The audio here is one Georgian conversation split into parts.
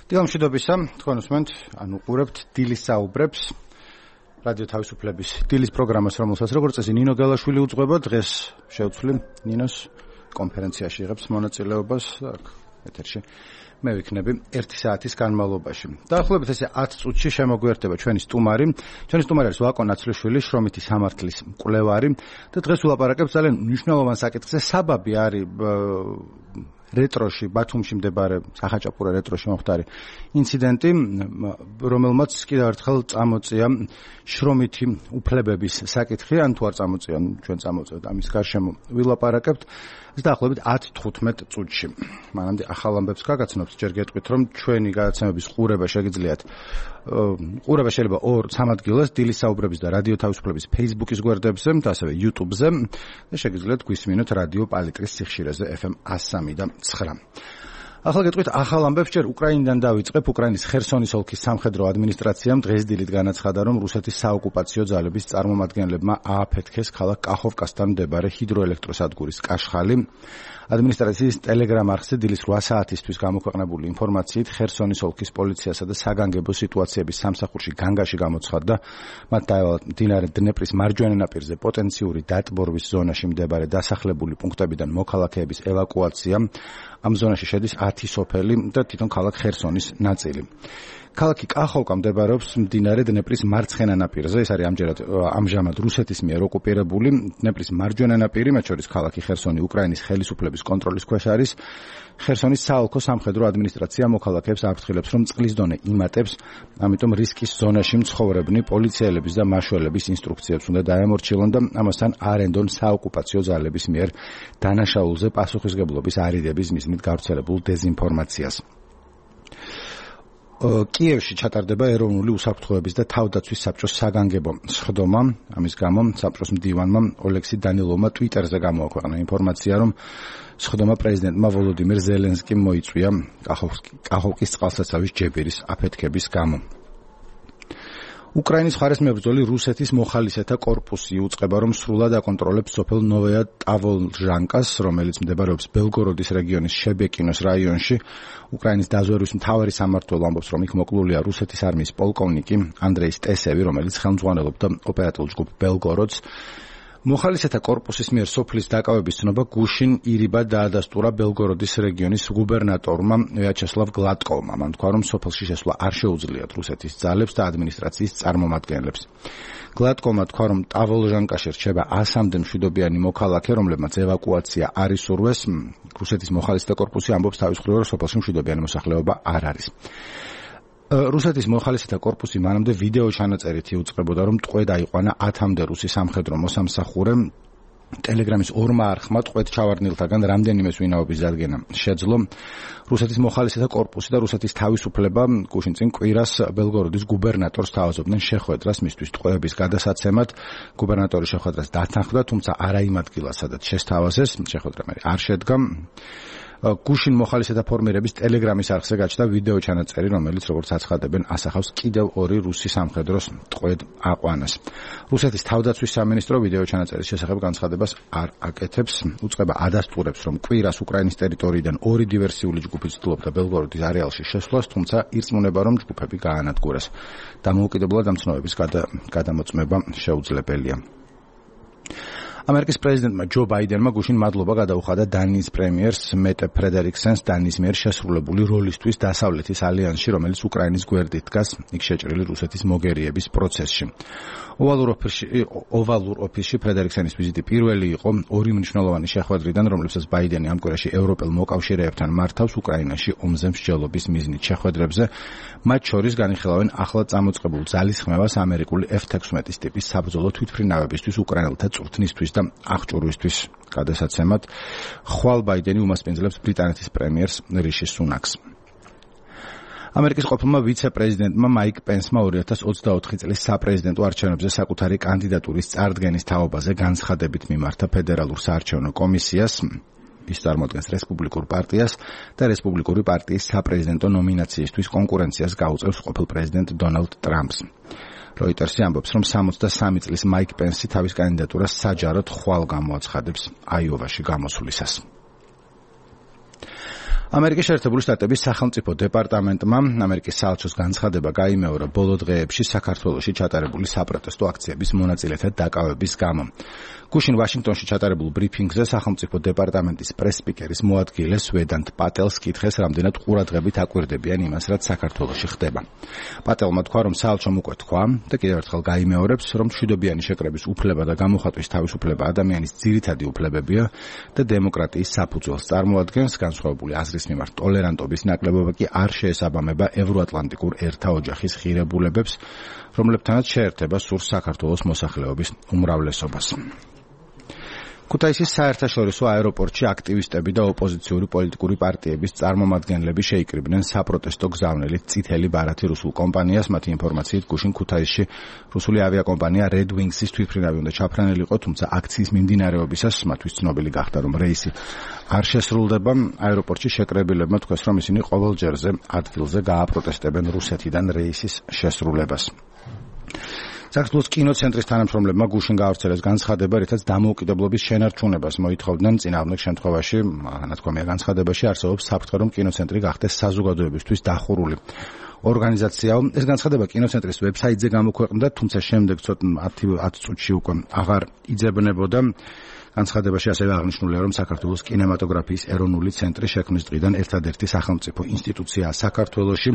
დილამშვიდობისა, თქვენ უსმენთ, უყურებთ დილის საუბრებს, რადიო თავისუფლების დილის პროგრამას, რომელსაც როგორც წესი ნინო გელაშვილი უძღვება, დღეს შევცვლი ნინოს კონფერენციაში იღებს მონაწილეობას, აქ ეთერში მე ვიქნები 1 საათის განმავლობაში. დაახლოებით ესე 10 წუთში შემოგვიერთება ჩვენი სტუმარი. ჩვენი სტუმარი არის ვაკო ნაცვლიშვილი, შრომითი სამართლის მკვლევარი და დღეს ვილაპარაკებთ ძალიან მნიშვნელოვან საკითხზე. საბაბი არის რეტროში, ბათუმში მდებარე სახაჭაპურა რეტროში მოხდარი ინციდენტი, რომელმაც კიდევ ერთხელ წამოწია შრომითი უფლებების საკითხი, ან თუ არ წამოწია, ჩვენ წამოწევთ ამის გარშემო ვილაპარაკებთ. დაახლოებით 10-15 წუთში. მანამდე ახალ ამბებს გაგაცნობთ, ჯერ გეტყვით, რომ ჩვენი გადაცემების ყურება შეგიძლიათ ყურება შეიძლება 2 ადგილას, დილის საუბრების და რადიო თავისუფლების Facebook-ის გვერდებზე და ასევე YouTube-ზე და შეგიძლიათ გვისმინოთ რადიო პალიტრის სიხშირეზე FM 103 და 9. ახლა გეტყვით ახალ ამბებს, ჯერ უკრაინიდან დავიწყებ. უკრაინის ხერსონის ოლქის სამხედრო ადმინისტრაციამ დღეს დილით განაცხადა, რომ რუსეთის საოკუპაციო ძალების წარმომადგენლებმა ააფეთქეს ქალაქ კახოვკასთან მდებარე ჰიდროელექტროსადგურის კაშხალი. ადმინისტრაციის ტელეგრამ არხზე დილის 8 საათისთვის გამოქვეყნებული ინფორმაციით ხერსონის ოლქის პოლიციასა და საგანგებო სიტუაციების სამსახურში განგაში გამოცხადდა, მათ დაევალათ მდინარე დნეპრის მარჯვენა ნაპირზე პოტენციური დატბორვის ზონაში მდებარე დასახლებული პუნქტებიდან მოქალაქეების ევაკუაცია. ამ ზონაში შედის 10 სოფელი და თვითონ ქალაქ ხერსონის ნაწილი. ქალაქი კახოვკა მდებარეობს მდინარე დნეპრის მარცხენა ნაპირზე, ეს არის ამჟამად რუსეთის მიერ ოკუპირებული. დნეპრის მარჯვენა ნაპირი, მათ შორის ქალაქი ხერსონი უკრაინის ხელისუფლების კონტროლის ქვეშ არის. ხერსონის საოლქო სამხედრო ადმინისტრაცია მოქალაქეებს აფრთხილებს, რომ წყლის დონე იმატებს, ამიტომ რისკის ზონაში მცხოვრებნი პოლიციელების და მაშველების ინსტრუქციებს უნდა დაემორჩილონ და ამასთან არ ენდონ საოკუპაციო ძალების მიერ დანაშაულზე პასუხისმგებლობის არიდების მიზნით გავრცელებულ დეზინფორმაციას. კიევში ჩატარდება ეროვნული უსაფრთხოების და თავდაცვის საბჭოს საგანგებო სხდომა. ამის გამო საბჭოს მდივანმა ოლექსი დანილოვმა ტვიტერზე გამოაქვეყნა ინფორმაცია, რომ სხდომა პრეზიდენტმა ვოლოდიმირ ზელენსკიმ მოიწვია კახოვკის წყალსაცავის ჯებირის აფეთქების გამო. უკრაინის მხარეს მებრძოლი რუსეთის მოხალისეთა კორპუსი უწყება, რომ სრულად აკონტროლებს სოფელ ნოვოია ტავოლჟანკას, რომელიც მდებარეობს ბელგოროდის რეგიონის შებეკინოს რაიონში. უკრაინის დაზვერვის მთავარი სამმართველო ამბობს, რომ იქ მოკლულია რუსეთის არმიის პოლკოვნიკი ანდრეი სტესევი, რომელიც ხელმძღვანელობდა ოპერატიულ ჯგუფ ბელგოროდს. მოხალისეთა კორპუსის მიერ სოფლის დაკავების ცნობა გუშინ ირიბად დაადასტურა ბელგოროდის რეგიონის გუბერნატორმა ვიაჩესლავ გლატკოვმა. მან თქვა, რომ სოფელში შესვლა არ შეუძლიათ რუსეთის ძალებს და ადმინისტრაციის წარმომადგენლებს. გლატკოვმა თქვა, რომ ტავოლჟანკაში რჩება 100-მდე მშვიდობიანი მოქალაქე, რომლებმაც ევაკუაცია არ ისურვეს. რუსეთის მოხალისეთა კორპუსი ამბობს თავის მხრივ, რომ სოფელში მშვიდობიანი მოსახლეობა არ არის. რუსეთის მოხალისეთა კორპუსი მანამდე ვიდეო ჩანაწერით იუწყებოდა, რომ ტყვე დაიყვანა 10-მდე რუსი სამხედრო მოსამსახურე. ტელეგრამის ორმა არხმა ტყვედ ჩავარდნილთაგან რამდენიმე ვინაობის დადგენა შეძლო. რუსეთის მოხალისეთა კორპუსი და რუსეთის თავისუფლება გუშინ წინ კვირას ბელგოროდის გუბერნატორს თავაზობდნენ შეხვედრას მისთვის ტყვეების გადასაცემად. გუბერნატორი შეხვედრას დათანხმდა, თუმცა არა იმ ადგილას, სადაც შესთავაზეს. შეხვედრა არ შედგა. გუშინ მოხალისეთა ფორმირების ტელეგრამის არხზე გაჩნდა ვიდეო ჩანაწერი, რომელიც როგორც აცხადებენ, ასახავს კიდევ 2 რუსი სამხედროს ტყვედ აყვანას. რუსეთის თავდაცვის სამინისტრო ვიდეო ჩანაწერის შესახებ განცხადებას არ აკეთებს. უწყება ადასტურებს, რომ კვირას უკრაინის ტერიტორიიდან 2 დივერსიული ჯგუფი ცდილობდა ბელგოროდის არეალში შესვლას, თუმცა ირწმუნება, რომ ჯგუფები გაანადგურეს. დამოუკიდებლად ამ ცნობების გადამოწმება შეუძლებელია. ამერიკის პრეზიდენტმა ჯო ბაიდენმა გუშინ მადლობა გადაუხადა დანიის პრემიერს მეტე ფრედერიკსენს დანიის მიერ შესრულებული როლისთვის დასავლეთის ალიანსში, რომელიც უკრაინის გვერდით დგას იქ შეჭრილი რუსეთის მოგერიების პროცესში. ოვალურ ოფისში ფრედერიკსენის ვიზიტი პირველი იყო 2 მნიშვნელოვანი შეხვედრიდან, რომლებსაც ბაიდენი ამ კვირაში ევროპელ მოკავშირეებთან მართავს უკრაინაში ომზე მსჯელობის მიზნით შეხვედრებზე. მათ შორის განიხილავენ ახლად წამოწყებულ ძალისხმევას ამერიკული F-16 ტიპის საბრძოლო თვითმფრინავებისთვის უკრაინელთა წვრთნისთვის და აღჭურვისთვის. გადასაცემად ხვალ ბაიდენი უმასპინძლებს ბრიტანეთის პრემიერს რიში სუნაკს. ამერიკის ყოფილმა ვიცე-პრეზიდენტმა მაიკ პენსმა 2024 წლის საპრეზიდენტო არჩევნებზე საკუთარი კანდიდატურის წარდგენის თაობაზე განცხადებით მიმართა ფედერალურ საარჩევნო კომისიას. ის წარმოადგენს რესპუბლიკურ პარტიას და რესპუბლიკური პარტიის საპრეზიდენტო ნომინაციისთვის კონკურენციას გაუწევს ყოფილ პრეზიდენტ დონალდ ტრამპს. როიტერსი ამბობს, რომ 63 წლის მაიკ პენსი თავის კანდიდატურას საჯაროდ ხვალ გამოაცხადებს აიოვაში გამოსვლისას. ამერიკის შეერთებული შტატების სახელმწიფო დეპარტამენტმა ამერიკის საელჩოს განცხადება გაიმეორა ბოლო დღეებში საქართველოში ჩატარებული საპროტესტო აქციების მონაწილეთა დაკავების გამო. გუშინ ვაშინგტონში ჩატარებულ ბრიფინგზე სახელმწიფო დეპარტამენტის პრეს-სპიკერის მოადგილე სვედანტ პატელს კითხეს, რამდენად ყურადღებით აკვირდებიან იმას, რაც საქართველოში ხდება. პატელმა თქვა, რომ საელჩომ უკვე თქვა და კიდევ ერთხელ გაიმეორებს, რომ მშვიდობიანი შეკრების უფლება და გამოხატვის თავისუფლება ადამიანის ძირითადი უფლებებია და დემოკრატიის საფუძველს წარმოადგენს. განსხვავებული აზრის მიმართ ტოლერანტობის ნაკლებობა კი არ შეესაბამება ევროატლანტიკურ ერთა ოჯახის ღირებულებებს, რომლებთანაც შეერთება სურს საქართველოს მოსახლეობის უმრავლესობას. ქუთაისის საერთაშორისო აეროპორტში აქტივისტები და ოპოზიციური პოლიტიკური პარტიების წარმომადგენლები შეიკრიბნენ საპროტესტო გზავნილით წითელი ბარათი რუსულ კომპანიას. მათი ინფორმაციით გუშინ ქუთაისში რუსული ავიაკომპანია Red Wings-ის თვითმფრინავი უნდა ჩაფრენილიყო, თუმცა აქციის მიმდინარეობისას მათთვის ცნობილი გახდა, რომ რეისი არ შესრულდება. აეროპორტში შეკრებილებმა თქვეს, რომ ისინი ყოველჯერზე ადგილზე გააპროტესტებენ რუსეთიდან რეისის შესრულებას. საქართველოს კინოცენტრის თანამშრომლებმა გუშინ გაავრცელეს განცხადება, რითაც დამოუკიდებლობის შენარჩუნებას მოითხოვდნენ. წინააღმდეგ შემთხვევაში, ნათქვამია განცხადებაში, არსებობს საფრთხე, რომ კინოცენტრი გახდეს საზოგადოებისთვის დახურული ორგანიზაციაო. ეს განცხადება კინოცენტრის ვებსაიტზე გამოქვეყნდა, თუმცა შემდეგ ცოტა 10 წუთში უკვე აღარ იძებნებოდა. განცხადებაში ასევე აღნიშნულია, რომ საქართველოს კინემატოგრაფიის ეროვნული ცენტრი შექმნის დღიდან ერთადერთი სახელმწიფო ინსტიტუციაა საქართველოში,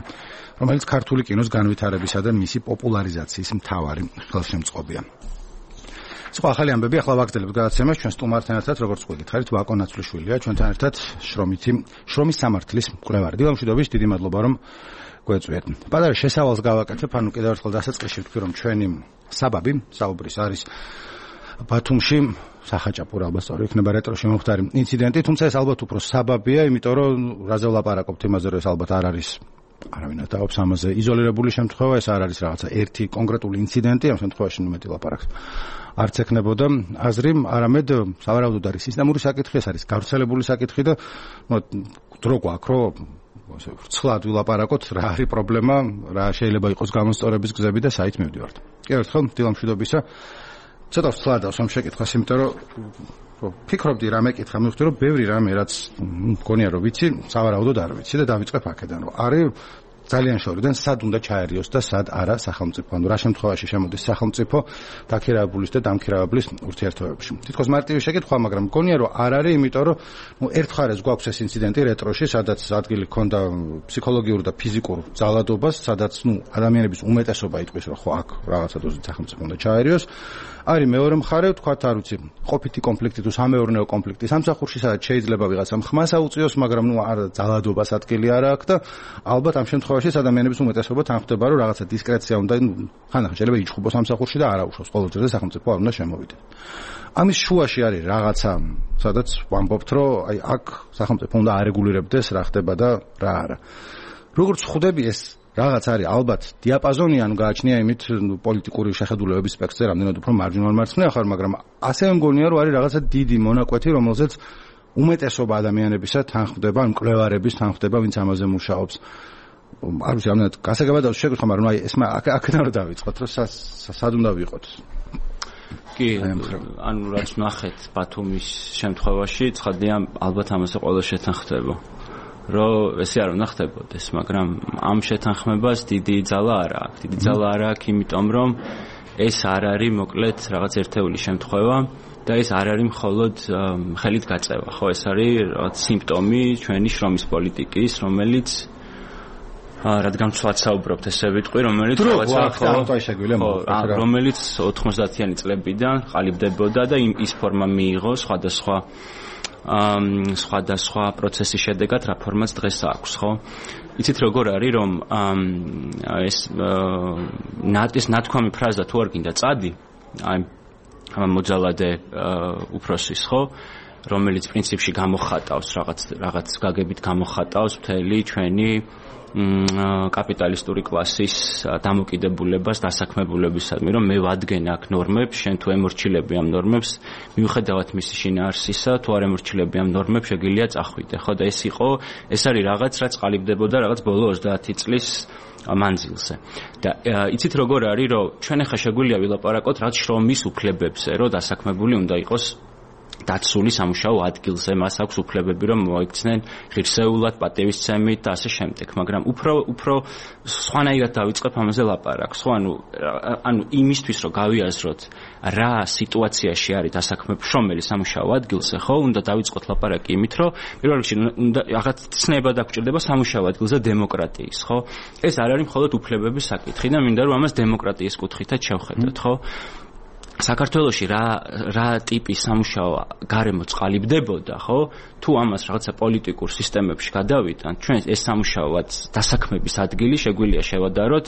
რომელიც ქართული კინოს განვითარებისა და მისი პოპულარიზაციის მთავარი ხელშემწყობია. სხვა ახალი ამბები ახლა ვაგრძელებთ გადაცემას ჩვენ სტუმართან ერთად, როგორც გითხარით, ვაკო ნაცვლიშვილია, ჩვენთან ერთად შრომის სამართლის მკვლევარი. დილამშვიდობის, დიდი მადლობა, რომ გვეწვიეთ. პატარა შესავალს გავაკეთებ, ანუ კიდევ ერთხელ დასაწყისში ვთქვი, რომ ჩვენი საბაბი საუბრის არის ბათუმში სახაჭაპურ ალბათ სწორი იქნება რეტროში მომხდარი ინციდენტი, თუმცა ეს ალბათ უფრო საბაბია, იმიტომ რომ რაზე ვლაპარაკობთ იმაზე, რომ ეს ალბათ არ არის არავინ ატაობს ამაზე იზოლირებული შემთხვევა, ეს არ არის რაღაცა ერთი კონკრეტული ინციდენტი, ამ შემთხვევაში მეტი ლაპარაკს არც ექნებოდა აზრი, არამედ სავარაუდოდ არის სისტემური საკითხი, ეს არის გავრცელებული საკითხი და დრო გვაქვს, რომ ვრცლად ვილაპარაკოთ, რა არის პრობლემა, რა შეიძლება იყოს გამოსწორების გზები და საით მივდივართ. კიდევ ერთხელ დილამშვიდობისა. ცოტა ვცლადავს ამ შეკითხვას, იმიტომ რომ ფიქრობდი რამე კითხა, მივხვდი, რომ ბევრი რამე, რაც მგონია, რომ ვიცი, სავარაუდოდ არ ვიცი და დავიწყებ აქედან, რომ არის ძალიან შორიდან სად უნდა ჩაერიოს და სად არა სახელმწიფო, ანუ რა შემთხვევაში შემოდის სახელმწიფო დაქირავებულის და დამქირავებლის ურთიერთობებში. თითქოს მარტივი შეკითხვა, მაგრამ მგონია, რომ არ არის, იმიტომ რომ ერთხარეს გვაქვს ეს ინციდენტი რეტროში, სადაც ადგილი ჰქონდა ფსიქოლოგიურ და ფიზიკურ ძალადობას, სადაც ადამიანების უმეტესობა იტყვის, რომ ხო აქ რაღაცა დოზით სახელმწიფო უნდა ჩაერიოს. არის მეორე მხარე, თქვათ, არ ვიცი, ყოფითი კონფლიქტი თუ სამეურნეო კონფლიქტი სამსახურში, სადაც შეიძლება ვიღაცამ ხმას აუწიოს, მაგრამ არ ძალადობას ადგილი არ აქვს და ალბათ ამ შემთხვევაში ადამიანების უმეტესობა თანხმდება, რომ რაღაცა დისკრეცია უნდა, ხანდახან შეიძლება იჩხუბოს სამსახურში და არ აუშვოს ყოველჯერზე სახელმწიფო არ უნდა შემოვიდეს. ამის შუაში არის რაღაცა, სადაც ვამბობთ, რომ აი აქ სახელმწიფო უნდა არეგულირებდეს რა ხდება და რა არა. როგორც ხვდები ეს რაღაც არის ალბათ დიაპაზონი, ანუ გააჩნია იმით პოლიტიკური შეხედულებების სპექტრზე, რამდენად უფრო მარჯვნივ მარცხნივ ხარ, მაგრამ ასევე მგონია, რომ არის რაღაცა დიდი მონაკვეთი, რომელზეც უმეტესობა ადამიანებისა თანხმდება, მკვლევარების თანხმდება, ვინც ამაზე მუშაობს. არ ვიცი, რამდენად გასაგებად შეგხვდა, მაგრამ აი ეს აქედან რომ დავიწყოთ, რომ სად უნდა ვიყოთ. კი, ანუ რაც ნახეთ ბათუმის შემთხვევაში, ცხადია, ალბათ ამაზე ყველა შეთანხმდება. რომ ესე არ უნდა ხდებოდეს, მაგრამ ამ შეთანხმებას დიდი ძალა არ აქვს. დიდი ძალა არ აქვს, იმიტომ რომ ეს არ არის მოკლედ რაღაც ერთეული შემთხვევა და ეს არ არის მხოლოდ ხელით გაწევა. ხო, ეს არის რაღაც სიმპტომი ჩვენი შრომის პოლიტიკის, რომელიც რადგან ვცვლად საუბრობთ, ესე ვიტყვი, რომელიც რომელიც 90-იანი წლებიდან ყალიბდებოდა და ის ფორმა მიიღო სხვადასხვა პროცესის შედეგად რა ფორმაც დღეს აქვს, ხო? იცით როგორ არის, რომ ეს ნათქვამი ფრაზა თუ არ გინდა წადი, აი მოძალადე უფროსის, ხო? რომელიც პრინციპში გამოხატავს რაღაც გაგებით გამოხატავს მთელი ჩვენი კაპიტალისტური კლასის დამოკიდებულებას დასაქმებულებისადმი, რომ მე ვადგენ აქ ნორმებს, შენ თუ ემორჩილები ამ ნორმებს, მიუხედავად მისი შინაარსისა, თუ არ ემორჩილები ამ ნორმებს, შეგიძლია წახვიდე, ხო? და ეს არის რაღაც, რაც ყალიბდებოდა რაღაც ბოლო 30 წლის მანძილზე. და იცით როგორ არის, რომ ჩვენ ახლა შეგვიძლია ვილაპარაკოთ რაღაც შრომის უფლებებზე, რომ დასაქმებული უნდა იყოს დაცული სამუშაო ადგილზე, მას აქვს უფლებები, რომ მოიქცნენ ღირსეულად, პატივისცემით და ასე შემდეგ, მაგრამ უფრო სხვანაირად დავიწყებ ამაზე ლაპარაკს, ხო, ანუ იმისთვის, რომ გავიაზროთ რა სიტუაციაში არის დასაქმებული შრომელი სამუშაო ადგილზე, ხო, უნდა დავიწყოთ ლაპარაკი იმით, რომ პირველ რიგში უნდა რაღაც ცნება დაგჭირდება სამუშაო ადგილზე დემოკრატიის, ხო? ეს არ არის მხოლოდ უფლებების საკითხი და მინდა რომ ამას დემოკრატიის კუთხითაც შევხედოთ, ხო? საქართველოში რა ტიპის სამუშაო გარემო წყალიბდებოდა, ხო? თუ ამას რაღაცა პოლიტიკურ სისტემებში გადავიტანთ, ჩვენ ეს სამუშაოაც დასაქმების ადგილი შეგვიძლია შევადაროთ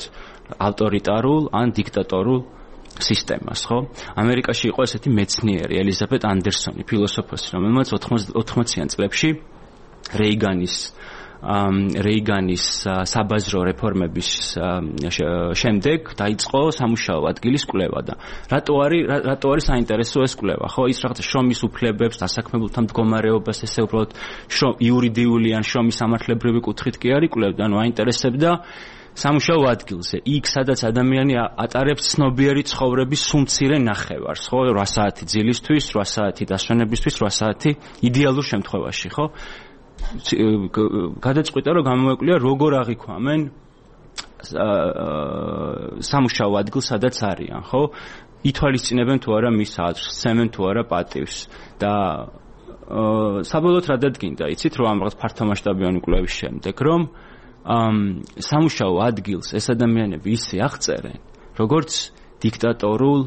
ავტორიტარულ ან დიქტატორულ სისტემას, ხო? ამერიკაში იყო ესეთი მეცნიერი ელიზაბეთ ანდერსონი, ფილოსოფოსი, რომელმაც 80-იან წლებში რეიგანის საბაზრო რეფორმების შემდეგ დაიწყო სამუშაო ადგილის კვლევა და რატო არის საინტერესო ეს კვლევა, ხო? ის რაღაცა შრომის უფლებებს, დასაქმებულთა მდგომარეობას, ესე უბრალოდ იურიდიული ან შრომის სამართლებრივი კუთხით კი არ იკვლევდა, ანუ აინტერესებდა სამუშაო ადგილზე, იქ სადაც ადამიანი ატარებს ცნობიერი ცხოვრების სულ-მცირე ნახევარს, ხო? 8 საათი ძილისთვის, 8 საათი დასვენებისთვის, 8 საათი იდეალურ შემთხვევაში, ხო? გადაწყვიტა რომ გამოეკვლინა როგორ აღიქვამენ სამუშაო ადგილს სადაც არიან, ხო? ითვალისწინებენ თუ არა მის აზრს, სცემენ თუ არა პატივს და საბოლოოდ რა დადგინდა, იცით, რომ ამ რაღაც ფართომასშტაბიანი კვლევის შემდეგ, რომ სამუშაო ადგილს ეს ადამიანები ისე აღწერენ, როგორც დიქტატორულ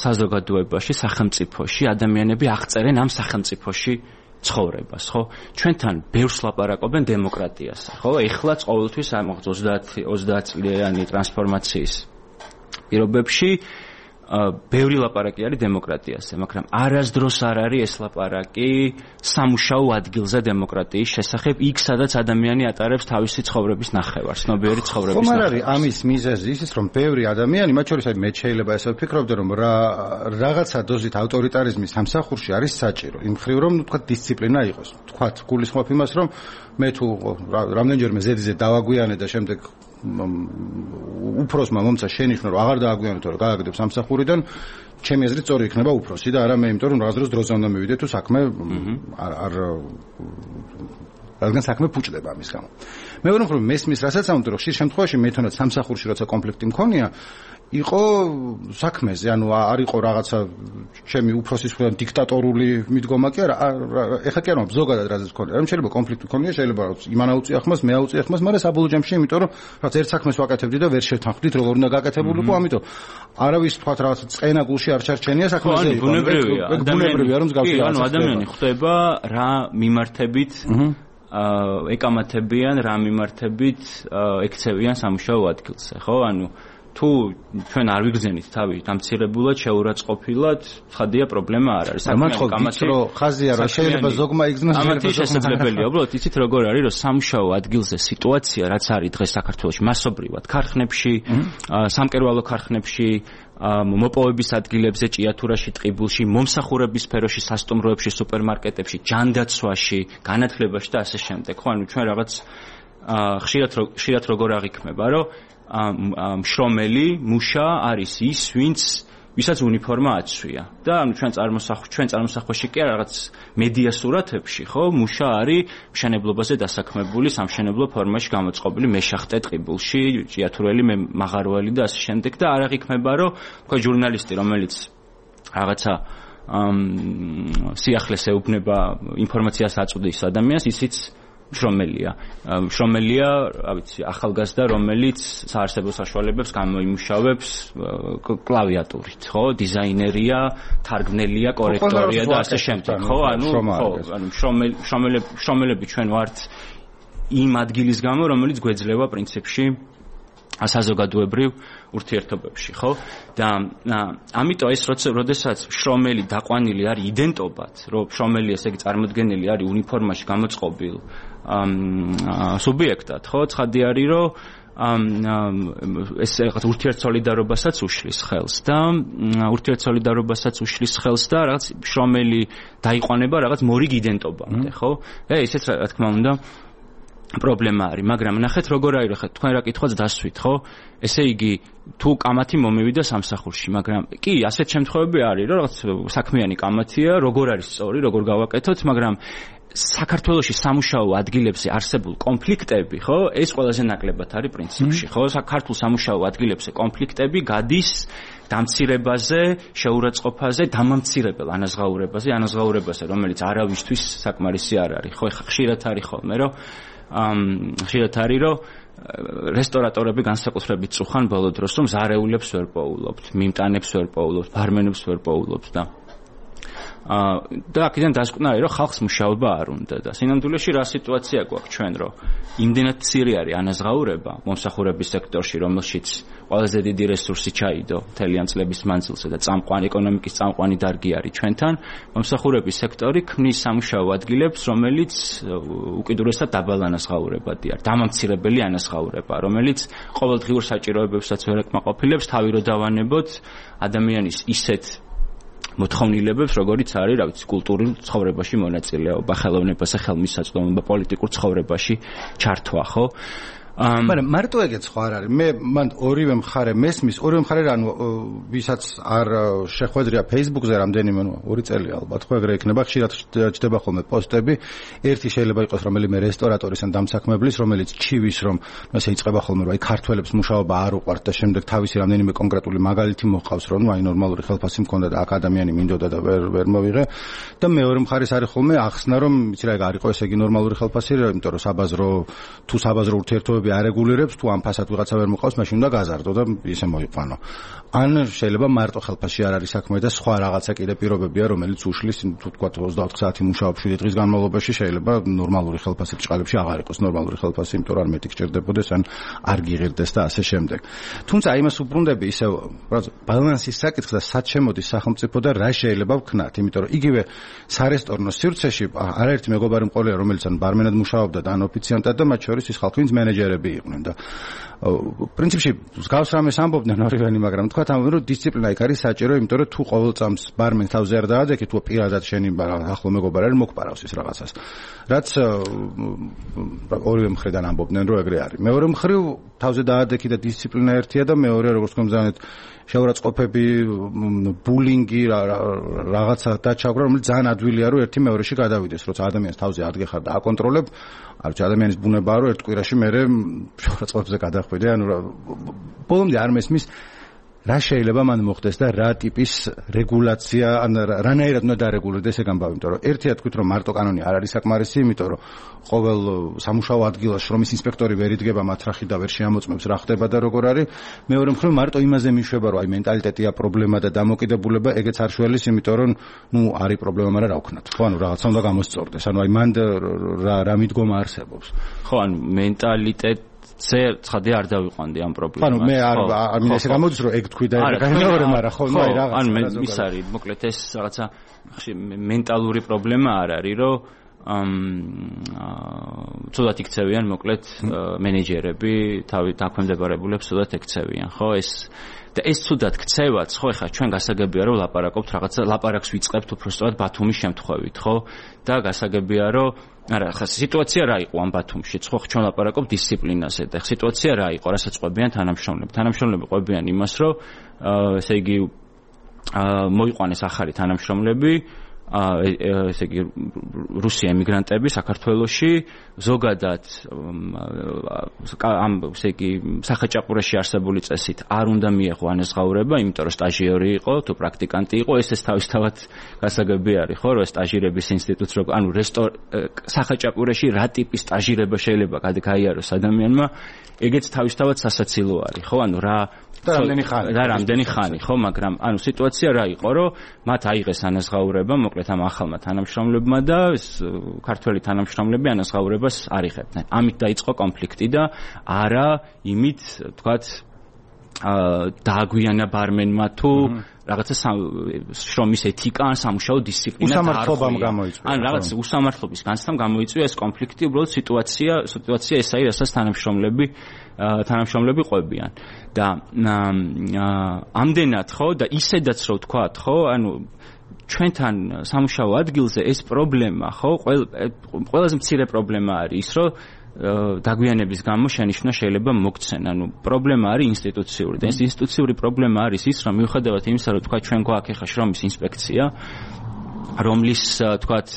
საზოგადოებაში, სახელმწიფოში ადამიანები აღწერენ ამ სახელმწიფოში ცხოვრებას, ხო? ჩვენთან ბევრს ლაპარაკობენ დემოკრატიასა, ხო? ეხლაც ყოველთვის ამ 30 წლიანი ტრანსფორმაციის პირობებში ბევრი ლაპარაკი არის დემოკრატიაზე, მაგრამ არასდროს არ არის ეს ლაპარაკი სამუშაო ადგილზე დემოკრატიის შესახებ, იქ სადაც ადამიანი ატარებს თავისი ცხოვრების ნახევარს, ცნობიერი ცხოვრების ნახევარს. ხომ არის ამის მიზეზი ისიც, რომ ბევრი ადამიანი, მათ შორის მე შეიძლება ესე ვფიქრობდი, რომ რაღაცა დოზით ავტორიტარიზმის სამსახურში არის საჭირო. იმ მხრივ, რომ თქვა დისციპლინა იყოს. თქვა გულისხმობ იმას, რომ მე თუ რამდენჯერმე ზედიზე დავაგვიანე და შემდეგ უფროსმა მომცა შენიშნო, რომ აღარ დააგვიანო, თორე გააგდებ სამსახურიდან, ჩემი აზრით სწორი იქნება უფროსი და არა მე, იმიტომ რომ რაღაც დროს დროზე უნდა მივიდე თუ საქმე რადგან საქმე ფუჭდება ამის გამო. მე ვარ რომ მესმის რასაც ამიტომ რომ ხშირ შემთხვევაში მე თუნდაც სამსახურში როცა კონფლიქტი მქონია, იყო საქმეზე, ანუ არ იყო რაღაცა ჩემი უფროსის მხრიდან დიქტატორული მიდგომა კი არა, ეხლა კი არა, ზოგადად რაზეც მქონია, რომ შეიძლება კონფლიქტი მქონია, შეიძლება იმან აუწია ხმას, მე აუწია ხმას, მაგრამ საბოლოო ჯამში, იმიტომ რომ რაღაც ერთ საქმეს ვაკეთებდი და ვერ შევთანხმდით, როგორ უნდა გაკეთებულიყო, ამიტომ არავის თქვათ რაღაცა წყენა გულში არ ჩარჩენია საქმეზე. ბუნებრივია, რომ მსგავსი ანუ ადამიანი ხვდება რა მიმართებით ეკამათებიან, რა მიმართებით ექცევიან სამუშაო ადგილზე, ხო? ანუ თუ ჩვენ არ ვიგრძენით თავი დამცირებულად, შეურაცხყოფილად, ხადია პრობლემა არ არის. ხაზია რა შეიძლება ზოგმა იგრძნოს, ამათი შესაძლებელია. უბრალოდ იცით როგორ არის, რომ სამუშაო ადგილზე სიტუაცია, რაც არის დღეს საქართველოში მასობრივად ქარხნებში, სამკერვალო ქარხნებში, მოპოვების ადგილებზე, ჭიათურაში, ტყიბულში, მომსახურების სფეროში, სასტუმროებში, სუპერმარკეტებში, ჯანდაცვაში, განათლებაში და ასე შემდეგ. ხო, ანუ ჩვენ რაღაც ხშირად როგორ აღიქმება, რომ მშრომელი, მუშა არის ის, ვისაც უნიფორმა აცვია. და ანუ ჩვენ წარმოსახვაში კი რაღაც მედია სურათებში, ხო, მუშა არის მშენებლობაზე დასაქმებული, სამშენებლო ფორმაში გამოწყობილი მეშახტე ტყიბულში, ჭიათურელი, მაღაროელი და ასე შემდეგ და არ აღიქმება, რომ თქვა ჟურნალისტი, რომელიც რაღაცა სიახლეს ეუბნება ინფორმაციას აწვდის ადამიანს, ისიც მშრომელია, რა ვიცი, ახალგაზრდა, რომელიც საარსებო საშუალებებს გამოიმუშავებს კლავიატურით, ხო, დიზაინერია, თარგმნელია, კორექტორია და ასე შემდეგ, ხო, ანუ მშრომელები ჩვენ ვართ იმ ადგილის გამო, რომელიც გვეძლევა პრინციპში საზოგადოებრივ ურთიერთობებში, ხო? და ამიტომ ეს როდესაც მშრომელი დაყვანილი არის იდენტობად, რომ მშრომელი ესე იგი წარმოდგენილი არის უნიფორმაში გამოწყობილ სუბიექტად, ხო? ცხადი არის, რომ ეს რაღაც ურთიერთსოლიდარობასაც უშლის ხელს და რაღაც მშრომელი დაიყვანება რაღაც მორიგ იდენტობამდე, ხო? ესეც რა თქმა უნდა პრობლემა არის, მაგრამ ნახეთ როგორ არის ხა თქვენ რა კითხვაც დასვით, ხო? ესე იგი თუ კამათი მომივიდა სამსახურში, მაგრამ კი, ასეთ შემთხვევები არის, რომ რაღაც საქმიანი კამათია, როგორ არის სწორი, როგორ გავაკეთოთ, მაგრამ საქართველოში სამუშაო ადგილებზე არსებულ კონფლიქტები, ხო? ეს ყველაზე ნაკლებად არის პრინციპში, ხო? საქართველოს სამუშაო ადგილებზე კონფლიქტები გადის დამცირებაზე, შეურაცხყოფაზე, დამამცირებელ ანაზღაურებაზე, რომელიც არავისთვის საკმარისი არ არის. ხო, ეხა ხშირად არის ხოლმე, რომ რესტორატორები განსაკუთრებით წუხან ბოლო დროს, რომ ზარეულებს ვერ პოულობთ, მიმტანებს ვერ პოულობთ, ბარმენებს ვერ პოულობთ და აქედან დასკვნა რომ ხალხს მუშაობა არ უნდა და სინამდვილეში რა სიტუაცია გვაქვს ჩვენ რომ იმდენად მცირე არის ანაზღაურება მომსახურების სექტორში რომელშიც ყველაზე დიდი რესურსი ჩაიდო მთლიან წლების მანძილზე და ეკონომიკის წამყვანი დარგი არის ჩვენთან მომსახურების სექტორი ქმნის სამუშაო ადგილებს რომელიც უკიდურესად დაბალ ანაზღაურებადი არის დამამცირებელი ანაზღაურება რომელიც ყოველდღიურ საჭიროებებსაც ვერ ეკმაყოფილებს თავი რო დავანებოთ ადამიანის ისეთ მოთხოვნილებებს, როგორიც არის, რა ვიცი, კულტურულ ცხოვრებაში მონაწილეობა, ხელოვნებასა, ხელმისაწვდომობა, პოლიტიკურ ცხოვრებაში ჩართვა, ხო? მაგრამ მარტო ეგეც ხო არ არის. მე მან ორივე მხარე მესმის, ორივე მხარე ანუ ვისაც არ შეხვედრია Facebook-ზე რამდენიმე, 2 წელი ალბათ, ხო ეგრე იქნება, ხშირად ჩდება ხოლმე პოსტები. ერთი შეიძლება იყოს რომელიმე რესტორატორის ან დამსაქმებლის, რომელიც ჩივის, რომ ესე იწყება ხოლმე, რომ აი ქართველებს მუშაობა არ უყვართ და შემდეგ თავისი რამდენიმე კონკრეტული მაგალითი მოყავს, რომ აი ნორმალური ხელფასი მქონდა და აქ ადამიანი მინდოდა და ვერ მოვიღე. და მეორე მხარეს არის ხოლმე ახსნა, რომ იცი რა ეგ არ იყო ესე იგი ნორმალური ხელფასი, იმიტომ რომ საბაზრო ურთიერთობები არეგულირებს თუ ამ ფასად ვიღაცა ვერ მოყავს, მაშინ უნდა გაზარდო და ისე მოიყვანო. ან შეიძლება მარტო ხელფასში არ არის საქმე და სხვა რაღაცა კიდე პირობებია, რომელიც უშლის, თუ თქვა 24 საათი მუშაობ 7 დღის განმავლობაში შეიძლება ნორმალური ხელფასი ბრჭყალებში აღარ იყოს ნორმალური ხელფასი, იმიტომ რომ არ მეტი გჭირდებოდეს, ან არ გიღირდეს და ასე შემდეგ. თუმცა იმას უბრუნდები ისევ ბალანსის საკითხს და სად შემოდის სახელმწიფო და რა შეიძლება ვქნათ, იმიტომ რომ იგივე სარესტორნო სივრცეში არაერთი მეგობარი მყოლია, რომელიც ან ბარმენად მუშაობდა და ან ოფიციანტად და მათ შორის ის ხალხი, ვინც მენეჯერები იყვნენ და პრინციპში მსგავს რამეს ამბობდნენ ორივენი, მაგრამ თქვათ ამბობდნენ, რომ დისციპლინა იქ არის საჭირო, იმიტომ რომ თუ ყოველ წამს ბარმენს თავზე არ დაადექი, თუ პირადად შენი ახლო მეგობარი არის, მოგპარავს ის რაღაცას. რაც ორივე მხრიდან ამბობდნენ, რომ ეგრე არის. მეორე მხრივ თავზე დაადექი და დისციპლინა ერთია და მეორე როგორც გქონდათ შეურაცხყოფები, ბულინგი, რაღაცა დაჩაგვრა, რომელიც ძალიან ადვილია, რომ ერთი მეორეში გადავიდეს, როცა ადამიანს თავზე ადგეხარ და აკონტროლებ, არ ვიცი, ადამიანის ბუნებაა, რომ ერთ კვირაში მერე შეურაცხყოფებზე გადახვიდე, ანუ ბოლომდე არ მესმის რა შეიძლება მან მოხდეს და რა ტიპის რეგულაცია, ან რანაირად უნდა დარეგულირდეს ეგ ამბავი, იმიტომ რომ ერთია თქვით, რომ მარტო კანონი არ არის საკმარისი, იმიტომ რომ ყოველ სამუშაო ადგილას შრომის ინსპექტორი ვერ იდგება მათ რახი და ვერ შეამოწმებს რა ხდება და როგორ არის. მეორე მხრივ მარტო იმაზე მიშვება, რომ აი მენტალიტეტია პრობლემა და დამოკიდებულება, ეგეც არ შველის, იმიტომ რომ არის პრობლემა, მაგრამ რა ვქნათ. ხო, ანუ რაღაცა უნდა გამოსწორდეს. ანუ აი მან რა მიდგომა არსებობს. ხო, ანუ მენტალიტეტი ცხადია არ დავიყვანდი ამ პრობლემას. ანუ მე არ ესე გამოდის რომ ეგ თქვი და ეგ მეორე, მაგრამ ხო, აი რაღაცა. ანუ ის არის, მოკლედ ეს რაღაცა მენტალური პრობლემა არ არის, რომ ცუდად იქცევიან მოკლედ მენეჯერები, თავი დაქვემდებარებულებს ცუდად ექცევიან, ხო? და ეს ცუდად ქცევაც, ხო, ეხლა ჩვენ გასაგებია რომ ლაპარაკობთ რაღაცა, ლაპარაკს ვიწყებთ უბრალოდ ბათუმის შემთხვევით, ხო? და გასაგებია რომ არა, ხა სიტუაცია რა იყო ამ ბათუმში? ხო, ჩვენ ლაპარაკობთ დისციპლინაზე და სიტუაცია რა იყო, რასაც ყვებიან თანამშრომლები? თანამშრომლები ყვებიან იმას, რომ ესე იგი მოიყვანეს ახალი თანამშრომლები, ესე იგი რუსი ემიგრანტები საქართველოში, ზოგადად ამ ესე იგი სახაჭაპურაში არსებული წესით არ უნდა მიეღო ანაზღაურება, იმიტომ რომ სტაჟიორი იყო, თუ პრაქტიკანტი იყო, ეს თავისთავად გასაგები არის, ხო, რომ სტაჟირების ინსტიტუტს რო, ანუ სახაჭაპურაში რა ტიპის სტაჟირება შეიძლება გაიაროს ადამიანმა, ეგეც თავისთავად სასაცილო არის, ხო, ანუ რამდენი ხანი, ხო, მაგრამ ანუ სიტუაცია რა იყო, რომ მათ აიღეს ანაზღაურება, მოკლედ ამ ახალმა თანამშრომლებმა და ქართველი თანამშრომლები ანაზღაურებას არ იღებდნენ. ამით დაიწყო კონფლიქტი და არა იმით, თქვათ, დააგვიანა ბარმენმა თუ რაღაცა შრომის ეთიკა ან სამუშაო დისციპლინა უსამართლობამ გამოიწვია. ან რაღაც უსამართლობის განცდამ გამოიწვია ეს კონფლიქტი, უბრალოდ სიტუაცია ეს არის, რასაც თანამშრომლები ყვებიან. და ამდენად, ხო, და ისედაც რო ვთქვათ, ხო, ანუ ჩვენთან სამუშაო ადგილზე ეს პრობლემა, ხო, ყველაზე მცირე პრობლემა არის ის, რომ დაგვიანების გამო შენიშვნა შეიძლება მოგცენ. ანუ პრობლემა არის ინსტიტუციური. და ეს ინსტიტუციური პრობლემა არის ის, რომ მიუხედავად იმისა, რომ თქვა ჩვენ გვაქვს ახლა შრომის ინსპექცია, რომლის თქვათ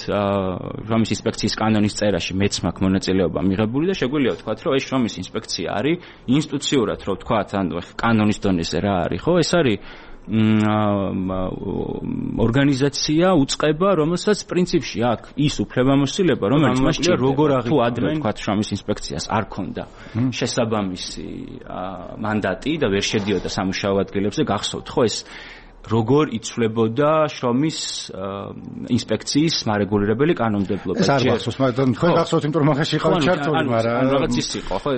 შრომის ინსპექციის კანონის წერაში მეც მაქვს მონაწილეობა მიღებული და შეგვიძლია ვთქვათ, რომ ეს შრომის ინსპექცია არის ინსტიტუციურად, რომ ვთქვათ, ანუ კანონის დონეზე რა არის, ხო? ეს არის ორგანიზაცია უწყება, რომელსაც პრინციპში აქვს ის უფლებამოსილება, რომელიც მას როგორ თუ ადრე ვთქვათ შრომის ინსპექციას არ ქონდა შესაბამისი მანდატი და ვერ შედიოდა სამუშაო ადგილებზე, გახსოვთ ხო ეს როგორ იცვლებოდა შრომის ინსპექციის მარეგულირებელი კანონმდებლობა. ეს არ გახსოვს, მაგრამ თქვენ გახსოვთ, იმიტომ რომ ახლა იყავით ჩართული, მაგრამ რაღაც ის იყო, ხო,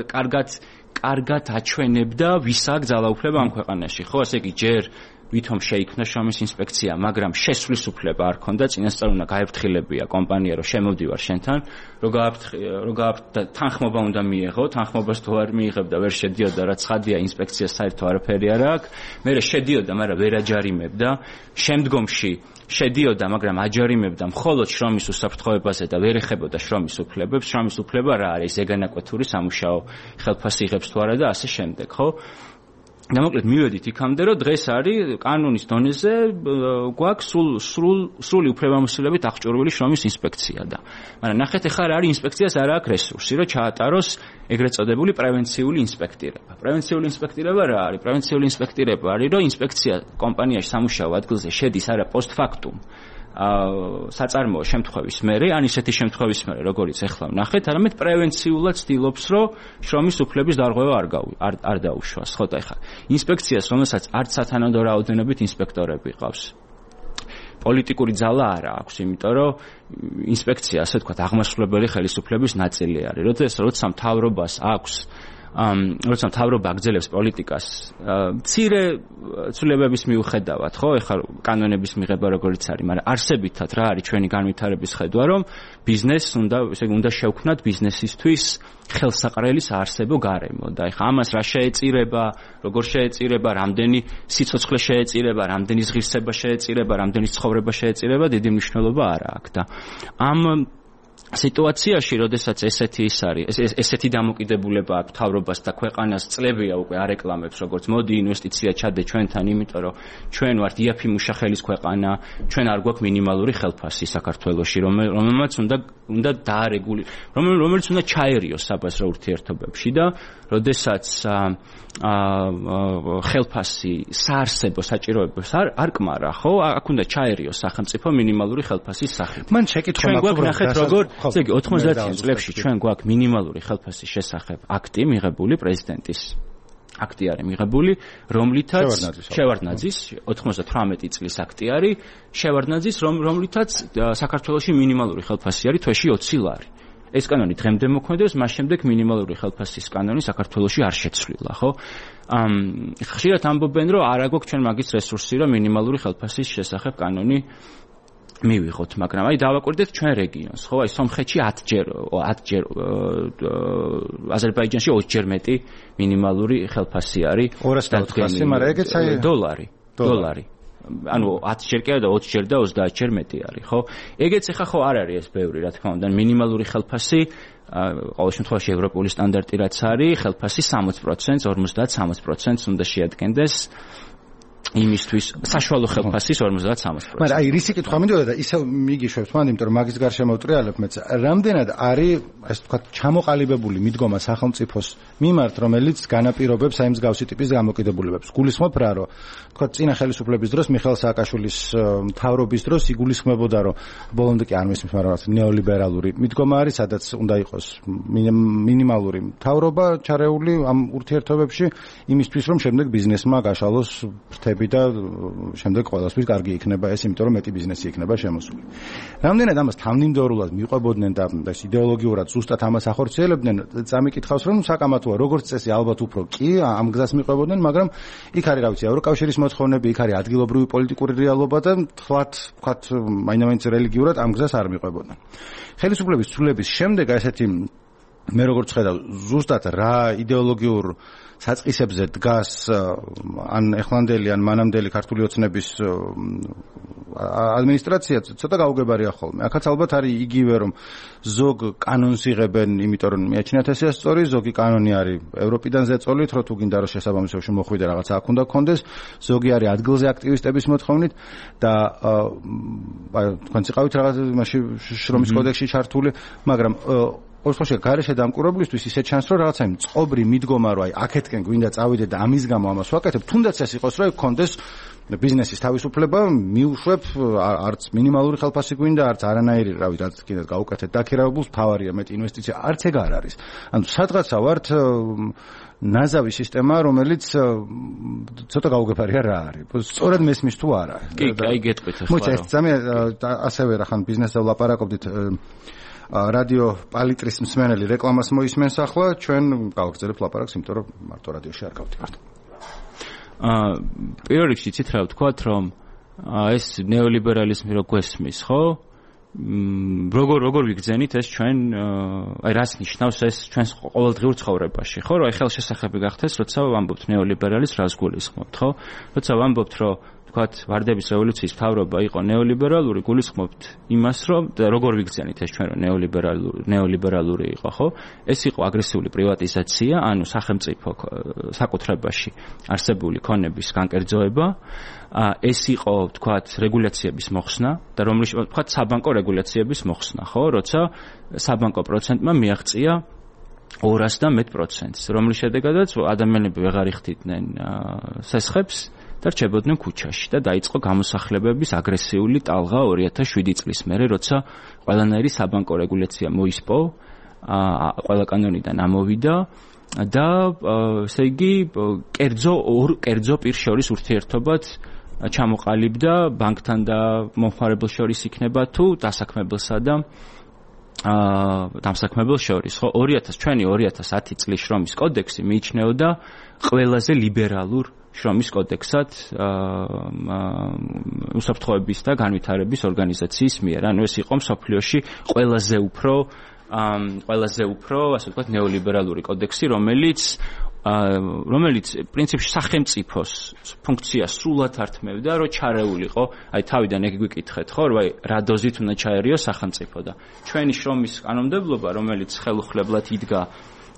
კარგად აჩვენებდა ვის აქვს ძალაუფლება ამ ქვეყანაში, ხო, ასე იგი ჯერ ვითომ შეიქმნა შრომის ინსპექცია, მაგრამ შესვლის უფლება არ ქონდა, წინასწარ უნდა გაეფრთხილებია კომპანია, რომ შემოვდივარ შენთან, რომ თანხმობა უნდა მიეღო, თანხმობას თუ არ მიიღებდა, ვერ შედიოდა, რაც ხადია ინსპექციას საერთო არაფერი არ აქვს. მერე შედიოდა, მაგრამ ვერ აჯარიმებდა. შემდგომში შედიოდა, მაგრამ აჯარიმებდა მხოლოდ შრომის უსაფრთხოებაზე და ვერ ეხებოდა შრომის უფლებებს. შრომის უფლება რა არის? ზეგანაკვეთური სამუშაო ხელფასი იღებს თუ არა და ასე შემდეგ, ხო? და მოკლედ მივედით იქამდე, რომ დღეს არის კანონის დონეზე გვაქვს სრული უფლებამოსილებით აღჭურვილი შრომის ინსპექცია და მაგრამ ნახეთ ახლა რა არის ინსპექციას არ აქვს რესურსი, რომ ჩაატაროს ეგრეთ წოდებული პრევენციული ინსპექტირება. პრევენციული ინსპექტირება რა არის? პრევენციული ინსპექტირება არის, რომ ინსპექცია კომპანიაში სამუშაო ადგილზე შედის არა პოსტფაქტუმ საწარმოო შემთხვევის მერე, ან ისეთი შემთხვევის მერე, როგორიც ახლა ვნახეთ, არამედ პრევენციულად ცდილობს, რომ შრომის უფლების დარღვევა არ დაუშვას. ხო და ახლა ინსპექციას, რომელსაც არც სათანადო რაოდენობით ინსპექტორები ყავს. პოლიტიკური ძალა არა აქვს, იმიტომ რომ ინსპექცია, ასე ვთქვათ, აღმასრულებელი ხელისუფლების ნაწილი არის. როცა მთავრობას აქვს როცა მთავრობა აგრძელებს პოლიტიკას მცირე ცვლილებების მიუხედავად, ხო, ეხლა კანონების მიღება როგორიც არის, მაგრამ არსებითად რა არის ჩვენი განვითარების ხედვა, რომ ბიზნესს უნდა შევქმნათ ბიზნესისთვის ხელსაყრელი საარსებო გარემო და ეხლა ამას რა შეეწირება, როგორ შეეწირება, რამდენი სიცოცხლე შეეწირება, რამდენი ზღირსება შეეწირება, რამდენი ცხოვრება შეეწირება, დიდი მნიშვნელობა არ აქვს და ამ სიტუაციაში, როდესაც ესეთი დამოკიდებულება აქვს მთავრობას და ქვეყანას წლებია უკვე არეკლამებს, როგორც მოდი ინვესტიცია ჩადე ჩვენთან, იმიტომ რომ ჩვენ ვართ იაფი მუშახელის ქვეყანა, ჩვენ არ გვაქვს მინიმალური ხელფასი საქართველოში, რომელმაც უნდა რომელიც უნდა ჩაერიოს საბაზრო ურთიერთობებში და როდესაც ხელფასი საარსებო საჭიროებებს არ კმარა, ხო? აქ უნდა ჩაერიოს სახელმწიფო მინიმალური ხელფასის სახით. მან შეკითხვა ნახეთ როგორ ესე იგი 90-იან წლებში ჩვენ გვაქვს მინიმალური ხელფასის შესახებ აქტი მიღებული პრეზიდენტის აქტი არის მიღებული, რომლითაც შევარდნაძის 98 წლის აქტი არის შევარდნაძის, რომლითაც საქართველოში მინიმალური ხელფასი არის თვეში 20 ლარი. ეს კანონი დღემდე მოქმედებს, მას შემდეგ მინიმალური ხელფასის კანონი საქართველოში არ შეცვლილა, ხო? ხშირად ამბობენ, რომ არ აგვაქვს ჩვენ მაგის რესურსი, რომ მინიმალური ხელფასის შესახებ კანონი მივიღოთ, მაგრამ აი დავაკვირდეთ ჩვენ რეგიონს, ხო? აი სომხეთში 10 ჯერ აზერბაიჯანში 20 ჯერ მეტი მინიმალური ხელფასი არის 200, მაგრამ ეგეც აი დოლარი. ანუ 10 ჯერ კი არა და 20 ჯერ და 30 ჯერ მეტი არის, ხო? ეგეც ახლა ხო არ არის ეს ბევრი, რა თქმა უნდა, მინიმალური ხელფასი ყოველ შემთხვევაში ევროპული სტანდარტი რაც არის, ხელფასი 60%, 50-60% უნდა შეადგენდეს იმისთვის საშუალო ხელფასის 50-60%. მაგრამ აი რისი კითხვა მინდოდა და ისევ მიგიშვებს მან, იმიტომ რომ მაგის გარშემო ვტრიალებ მეც. რამდენად არის, ასე ვთქვათ, ჩამოყალიბებული მიდგომა სახელმწიფოს მიმართ, რომელიც განაპირობებს აი მსგავსი ტიპის გამოკიდებულებებს. გულისხმობ რა, რომ ვთქვათ, წინა ხელისუფლების დროს მიხეილ სააკაშვილის მთავრობის დროს იგულისხმებოდა, რომ ბოლომდე კი არ მისმის, მაგრამ ნეოლიბერალური მიდგომა არის, სადაც უნდა იყოს მინიმალური მთავრობა ჩარეული ამ ურთიერთობებში, იმისთვის რომ შემდეგ ბიზნესმა გაშალოს ფრთები და შემდეგ ყველასთვის კარგი იქნება ეს, იმიტომ რომ მეტი ბიზნესი იქნება შემოსული. რამდენად ამას თანმიმდევრულად მიყვებოდნენ და ეს იდეოლოგიურად ზუსტად ამას ახორციელებდნენ, წამიკითხავს რომ საკამათოა, როგორც წესი ალბათ უფრო კი ამ გზას მიყვებოდნენ, მაგრამ იქ არის რა ვიცი, ევროკავშირის მოთხოვნები, იქ არის ადგილობრივი პოლიტიკური რეალობა და თქვათ მაინც რელიგიურად ამ გზას არ მიყვებოდნენ. ხელისუფლების ცვლილების შემდეგ ესეთი მე როგორც ხედავ, ზუსტად რა იდეოლოგიურ საწყისებზე დგას ან ეხლანდელი ან მანამდელი ქართული ოცნების ადმინისტრაცია ცოტა გაუგებარია ხოლმე. აქაც ალბათ არის იგივე რომ ზოგ კანონს იღებენ, იმიტომ რომ მიაჩნიათ ესე სწორი, ზოგი კანონი არის ევროპიდან ზეწოლით, რომ თუ გინდა რომ შესაბამისობაში მოხვიდე რაღაცა აქ უნდა გქონდეს, ზოგი არის ადგილზე აქტივისტების მოთხოვნით და თქვენ წიყავით რაღაც იმაში შრომის კოდექსში ჩართული, მაგრამ ოღონდ გარეშე დამკვირვებლისთვის ისე ჩანს რომ რაღაცა იმ წყობრი მიდგომა რომ აი აქეთკენ გვინდა წავიდე და ამის გამო ამას ვაკეთებ, თუნდაც ეს იყოს რომ გქონდეს ბიზნესის თავისუფლება, მიუშვებ არც მინიმალური ხელფასი გვინდა, არც არანაირი, რავი, რაც კიდე გაუკეთეთ დაქირავებულს, თავარია მეტი ინვესტიცია, არც ეგ არ არის. ანუ სადღაცა ვართ ნაზავი სისტემა, რომელიც ცოტა გაუგებარია რა არის. სწორად მესმის თუ არა. კი, აი გეტყვით ახლა. მოიცა ეს ძამე ასევე რა ხან ბიზნესზე ვლაპარაკობდით რადიო პალიტრის მსმენელი რეკლამას მოისმენს ახლა, ჩვენ გავაგრძელებთ ლაპარაკს, იმიტომ რომ მარტო რადიოში არ გავდივართ. პირველ რიგში იცით რა ვთქვათ, რომ ეს ნეოლიბერალიზმი რო გვესმის, ხო? როგორ ვიგრძენით ეს ჩვენ აი რას ნიშნავს ეს ჩვენს ყოველდღიურ ცხოვრებაში, ხო? რომ აი ხელშესახები გახდეს, როცა ვამბობთ ნეოლიბერალიზმს, რას გულისხმობთ, ხო? როცა ვამბობთ, რომ თქვათ ვარდების რევოლუციის მთავრობა იყო ნეოლიბერალური, გულისხმობთ იმას, რომ როგორ ვიგრძენით ეს ჩვენ რომ ნეოლიბერალური იყო, ხო? ეს იყო აგრესიული პრივატიზაცია, ანუ სახელმწიფო საკუთრებაში არსებული ქონების განკერძოება, ეს იყო თქვათ რეგულაციების მოხსნა და რომლის თქვათ საბანკო რეგულაციების მოხსნა, ხო? როცა საბანკო პროცენტმა მიაღწია 200%, რომლის შედეგადაც ადამიანები ვეღარ იხდიდნენ სესხებს და რჩებოდნენ ქუჩაში და დაიწყო გამოსახლებების აგრესიული ტალღა 2007 წლის მერე, როცა ყველანაირი საბანკო რეგულაცია მოისპო, ყველა კანონიდან ამოვიდა და ესე იგი კერძო პირ შორის ურთიერთობად ჩამოყალიბდა ბანკთან და მომხმარებელს შორის იქნება თუ დასაქმებელსა და დამსაქმებელს შორის, ხო? 2010 წლის შრომის კოდექსი მიიჩნეოდა ყველაზე ლიბერალურ შრომის კოდექსად უსაფრთხოების და განვითარების ორგანიზაციის მიერ. ანუ ეს იყო მსოფლიოში ყველაზე უფრო, ასე ვთქვათ, ნეოლიბერალური კოდექსი, რომელიც პრინციპში სახელმწიფოს ფუნქციას სრულად ართმევდა, რომ ჩარეულიყო, აი თავიდან ეგ გვიკითხეთ, ხო, რომ აი რა დოზით უნდა ჩაერიო სახელმწიფო და ჩვენი შრომის კანონმდებლობა, რომელიც ხელუხლებლად იდგა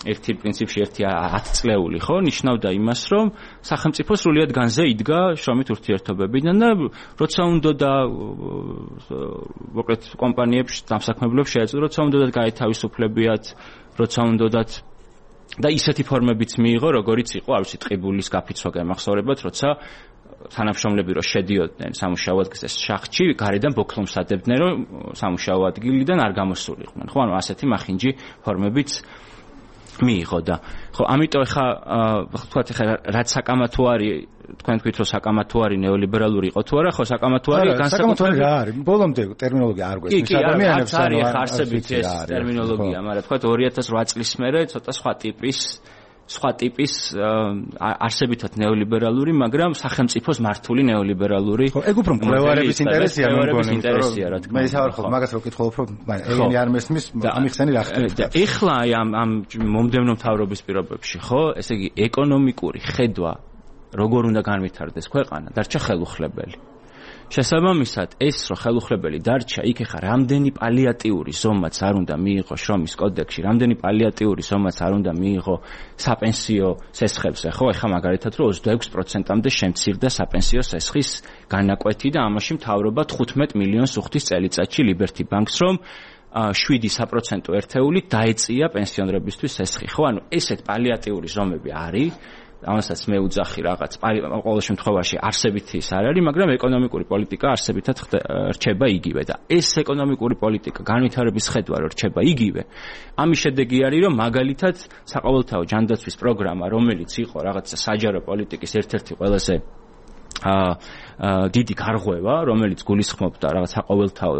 ერთი პრინციპში 10 წლეული, ხო, ნიშნავდა იმას, რომ სახელმწიფო სრულიად განზე იდგა შრომით ურთიერთობებიდან და როცა უნდა და მოკლედ კომპანიებს, დამსაქმებლებს შეეძლო, როცა უნდა და გაეთავისუფლებიათ, როცა უნდათ და ისეთი ფორმებიც მიიღო, როგორიც იყო, არ ვიცი, ტყიბულის გაფიცვა გემახსოვრებათ, როცა თანამშრომლები რო შედიოდნენ სამუშაო ადგილზე შახტში, გარედან ბოქლომსადებდნენ, რომ სამუშაო ადგილიდან არ გამოსულიყვნენ. ხო, ანუ ასეთი მახინჯი ფორმებიც მიიღო და ხო, ამიტომ ახლა ვთქვათ, ახლა რაც საკამათო არის, თქვენ თქვით, რომ საკამათო არის ნეოლიბერალური იყო თუ არა, ხო, საკამათო არის განსაკუთრებული რა არის? ბოლომდე ტერმინოლოგია არ გვესმის ადამიანებს, არის არსებით ეს ტერმინოლოგია, მაგრამ თქვათ 2008 წლის მერე ცოტა სხვა ტიპის არსებითად ნეოლიბერალური, მაგრამ სახელმწიფოს მართული ნეოლიბერალური. ხო, ეგ უფრო მკვლევარების ინტერესია, რა თქმა უნდა. მე ისე არ ხო, მაგას რო ვკითხულობ, რომ ეგენი არ მესმის, ამიხსენი რა ხდება. ეხლა აი ამ მომდევნო მთავრობის პირობებში, ხო, ესე იგი ეკონომიკური ხედვა როგორ უნდა განვითარდეს ქვეყანა, დარჩა ხელუხლებელი. შესაბამისად, ეს რო ხელუხლებელი დარჩა, იქ ახლა რამდენი პალიატიური ზომაც არ უნდა მიიღო შრომის კოდექსში, რამდენი პალიატიური ზომაც არ უნდა მიიღო საპენსიო სესხებზე, ხო, ახლა მაგალითად რომ 26%-მდე შემცირდა საპენსიო სესხის განაკვეთი და ამაში მთავრობა 15 მილიონს უხდის წელიწადში Liberty Bank-ს, რომ 7% ერთეულით დაეწია პენსიონერებისთვის სესხი, ხო, ანუ ესეთ პალიატიური ზომები არის. ამასაც მე უძახი რაღაც ყოველ შემთხვევაში არსებითი ის არ არის, მაგრამ ეკონომიკური პოლიტიკა არსებითად რჩება იგივე და ეს ეკონომიკური პოლიტიკა განვითარების ხედვა რო რჩება იგივე, ამის შედეგი არის, რომ მაგალითად საყოველთაო ჯანდაცვის პროგრამა, რომელიც იყო რაღაცა საჯარო პოლიტიკის ერთ-ერთი ყველაზე დიდი გარღვევა, რომელიც გულისხმობდა რაღაც საყოველთაო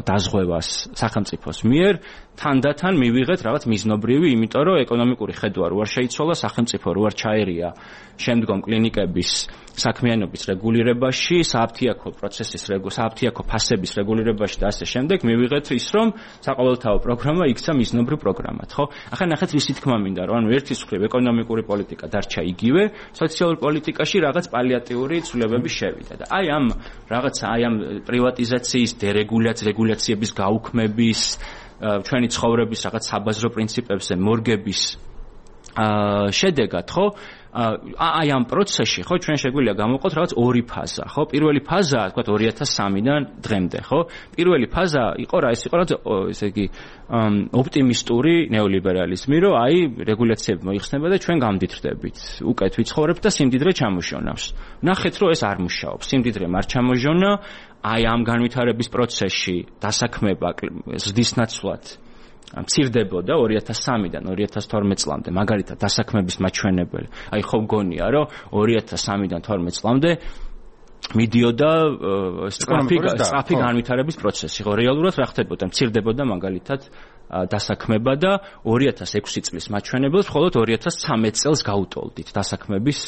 დაზღვევას სახელმწიფოს მიერ, თანდათან მივიღეთ რაღაც მიზნობრივი, იმიტომ რომ ეკონომიკური ხედვა რო არ შეიცვალა, სახელმწიფო რო არ ჩაერია შემდგომ კლინიკების საქმიანობის რეგულირებაში, სააფთიაქო პროცესის სააფთიაქო ფასების რეგულირებაში და ასე შემდეგ, მივიღეთ ის, რომ საყოველთაო პროგრამა იქცა მიზნობრივ პროგრამად, ხო? ახლა ნახეთ რისი თქმა მინდა, რომ ანუ ერთის მხრივ ეკონომიკური პოლიტიკა დარჩა იგივე, სოციალურ პოლიტიკაში რაღაც პალიატიური ცვლილებები განსაკუთრებები შევიდა და აი ამ პრივატიზაციის რეგულაციების გაუქმების ჩვენი ცხოვრების რაღაც საბაზრო პრინციპებზე მორგების შედეგად ხო აი ამ პროცესში ხო ჩვენ შეგვიძლია გამოვყოთ რაღაც ორი ფაზა ხო პირველი ფაზა თქვა 2003-დან დღემდე ხო პირველი ფაზა იყო რა ეს იყო რაღაც ესე იგი ოპტიმისტური ნეოლიბერალიზმი რომ აი რეგულაციები მოიხსნება და ჩვენ გამდიდრდებით უკეთ ვიცხოვრებთ და სიმდიდრე ჩამოშონავს ნახეთ რომ ეს არ მუშაობს სიმდიდრე არ ჩამოჟონა აი ამ განვითარების პროცესში დასაქმება ზრდის ნაცვლად მცირდებოდა 2003-დან 2012 წლამდე მაგალითად დასაქმების მაჩვენებელი აი ხო გონია რომ 2003-დან 12 წლამდე მიდიოდა სწრაფი განვითარების პროცესი ხო რეალურად რა ხდებოდა მცირდებოდა მაგალითად დასაქმება და 2006 წლის მაჩვენებელს მხოლოდ 2013 წელს გაუტოლდით დასაქმების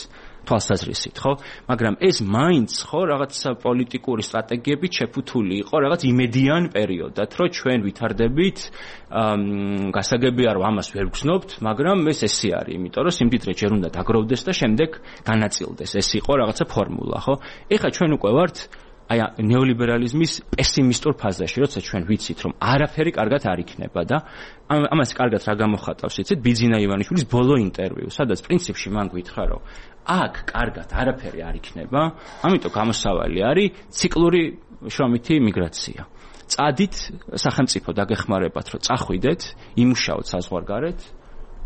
თვალსაზრისით ხო მაგრამ ეს მაინც ხო რაღაც პოლიტიკური სტრატეგიებით შეფუთული იყო რაღაც იმედიან პერიოდად რომ ჩვენ ვითარდებით გასაგებია რომ ამას ვერ გრძნობთ მაგრამ ეს ესე არის იმიტომ რომ სიმდიდრე ჯერ უნდა დაგროვდეს და შემდეგ განაწილდეს ეს იყო რაღაცა ფორმულა ხო ეხლა ჩვენ უკვე ვართ აი ნეოლიბერალიზმის პესიმისტურ ფაზაში როცა ჩვენ ვიცით რომ არაფერი კარგად არ იქნება და ამას კარგად რა გამოხატავს იცით ბიძინა ივანიშვილის ბოლო ინტერვიუ სადაც პრინციპში მან გითხრა რომ აქ კარგად არაფერი არ იქნება ამიტომ გამოსავალი არის ციკლური შრომითი მიგრაცია წადით სახელმწიფო დაგეხმარებათ რომ წახვიდეთ იმუშაოთ საზღვარგარეთ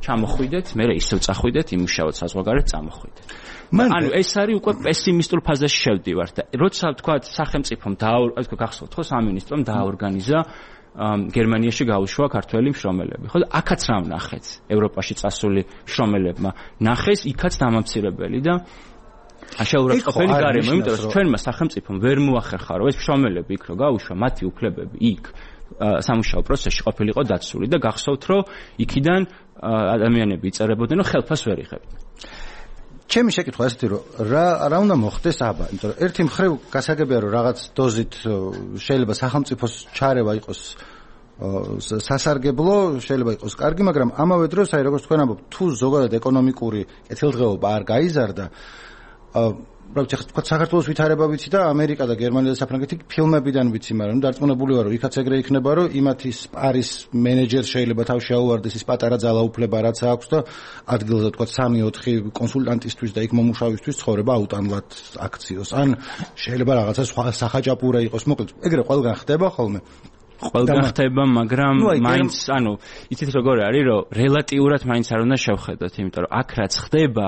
ჩამოხვიდეთ მე ისევ წახვიდეთ იმუშაოთ საზღვარგარეთ წამოხვიდეთ ანუ ეს არის უკვე პესიმისტურ ფაზაში შევდივართ და როცა თქვა სახელმწიფომ გახსოვთ ხო სამინისტრომ დააორგანიზა გერმანიაში გაუშვა ქართველი მშრომელები ხო და აქაც რა ვნახეთ ევროპაში წასული მშრომელებმა ნახეს იქაც დამამცირებელი და შეურაცხყოფელი გარემო იმიტომ რომ ჩვენმა სახელმწიფომ ვერ მოახერხა რომ ეს მშრომელები იქ რო გაუშვა მათი უფლებები იქ სამუშაო პროცესში ყოფილიყო დაცული და გახსოვთ რომ იქიდან ადამიანები იწერებოდნენ რომ ხელფას ვერ იღებდნენ ჩემი შეკითხვა ესეთი რომ რა უნდა მოხდეს აბა იმიტომ რომ ერთი მხრივ გასაგებია რომ რაღაც დოზით შეიძლება სახელმწიფოს ჩარევა იყოს სასარგებლო შეიძლება იყოს კარგი მაგრამ ამავე დროს აი როგორც თქვენ ამბობთ თუ ზოგადად ეკონომიკური კეთილდღეობა არ გაიზარდა რა თქვა საქართველოს ვითარება ვიცი და ამერიკა და გერმანია და საფრანგეთი ფილმებიდან ვიცი მაგრამ დარწმუნებული ვარ რომ იქაც ეგრე იქნება რომ იმათი სპარის მენეჯერს შეიძლება თავში აუვარდეს ის პატარა ძალაუფლება რაც აქვს და ადგილზე თქვა 3-4 კონსულტანტისთვის და იქ მომუშავისთვის ცხოვრება აუტანლად აქციოს ან შეიძლება რაღაცა სხვა სახაჭაპურა იყოს მოკლედ ეგრე ყველგან ხდება ხოლმე ყველგან ხდება მაგრამ მაინც ანუ იცით როგორ არის რომ რელატიურად მაინც არ უნდა შევხედოთ იმიტომ რომ აქ რაც ხდება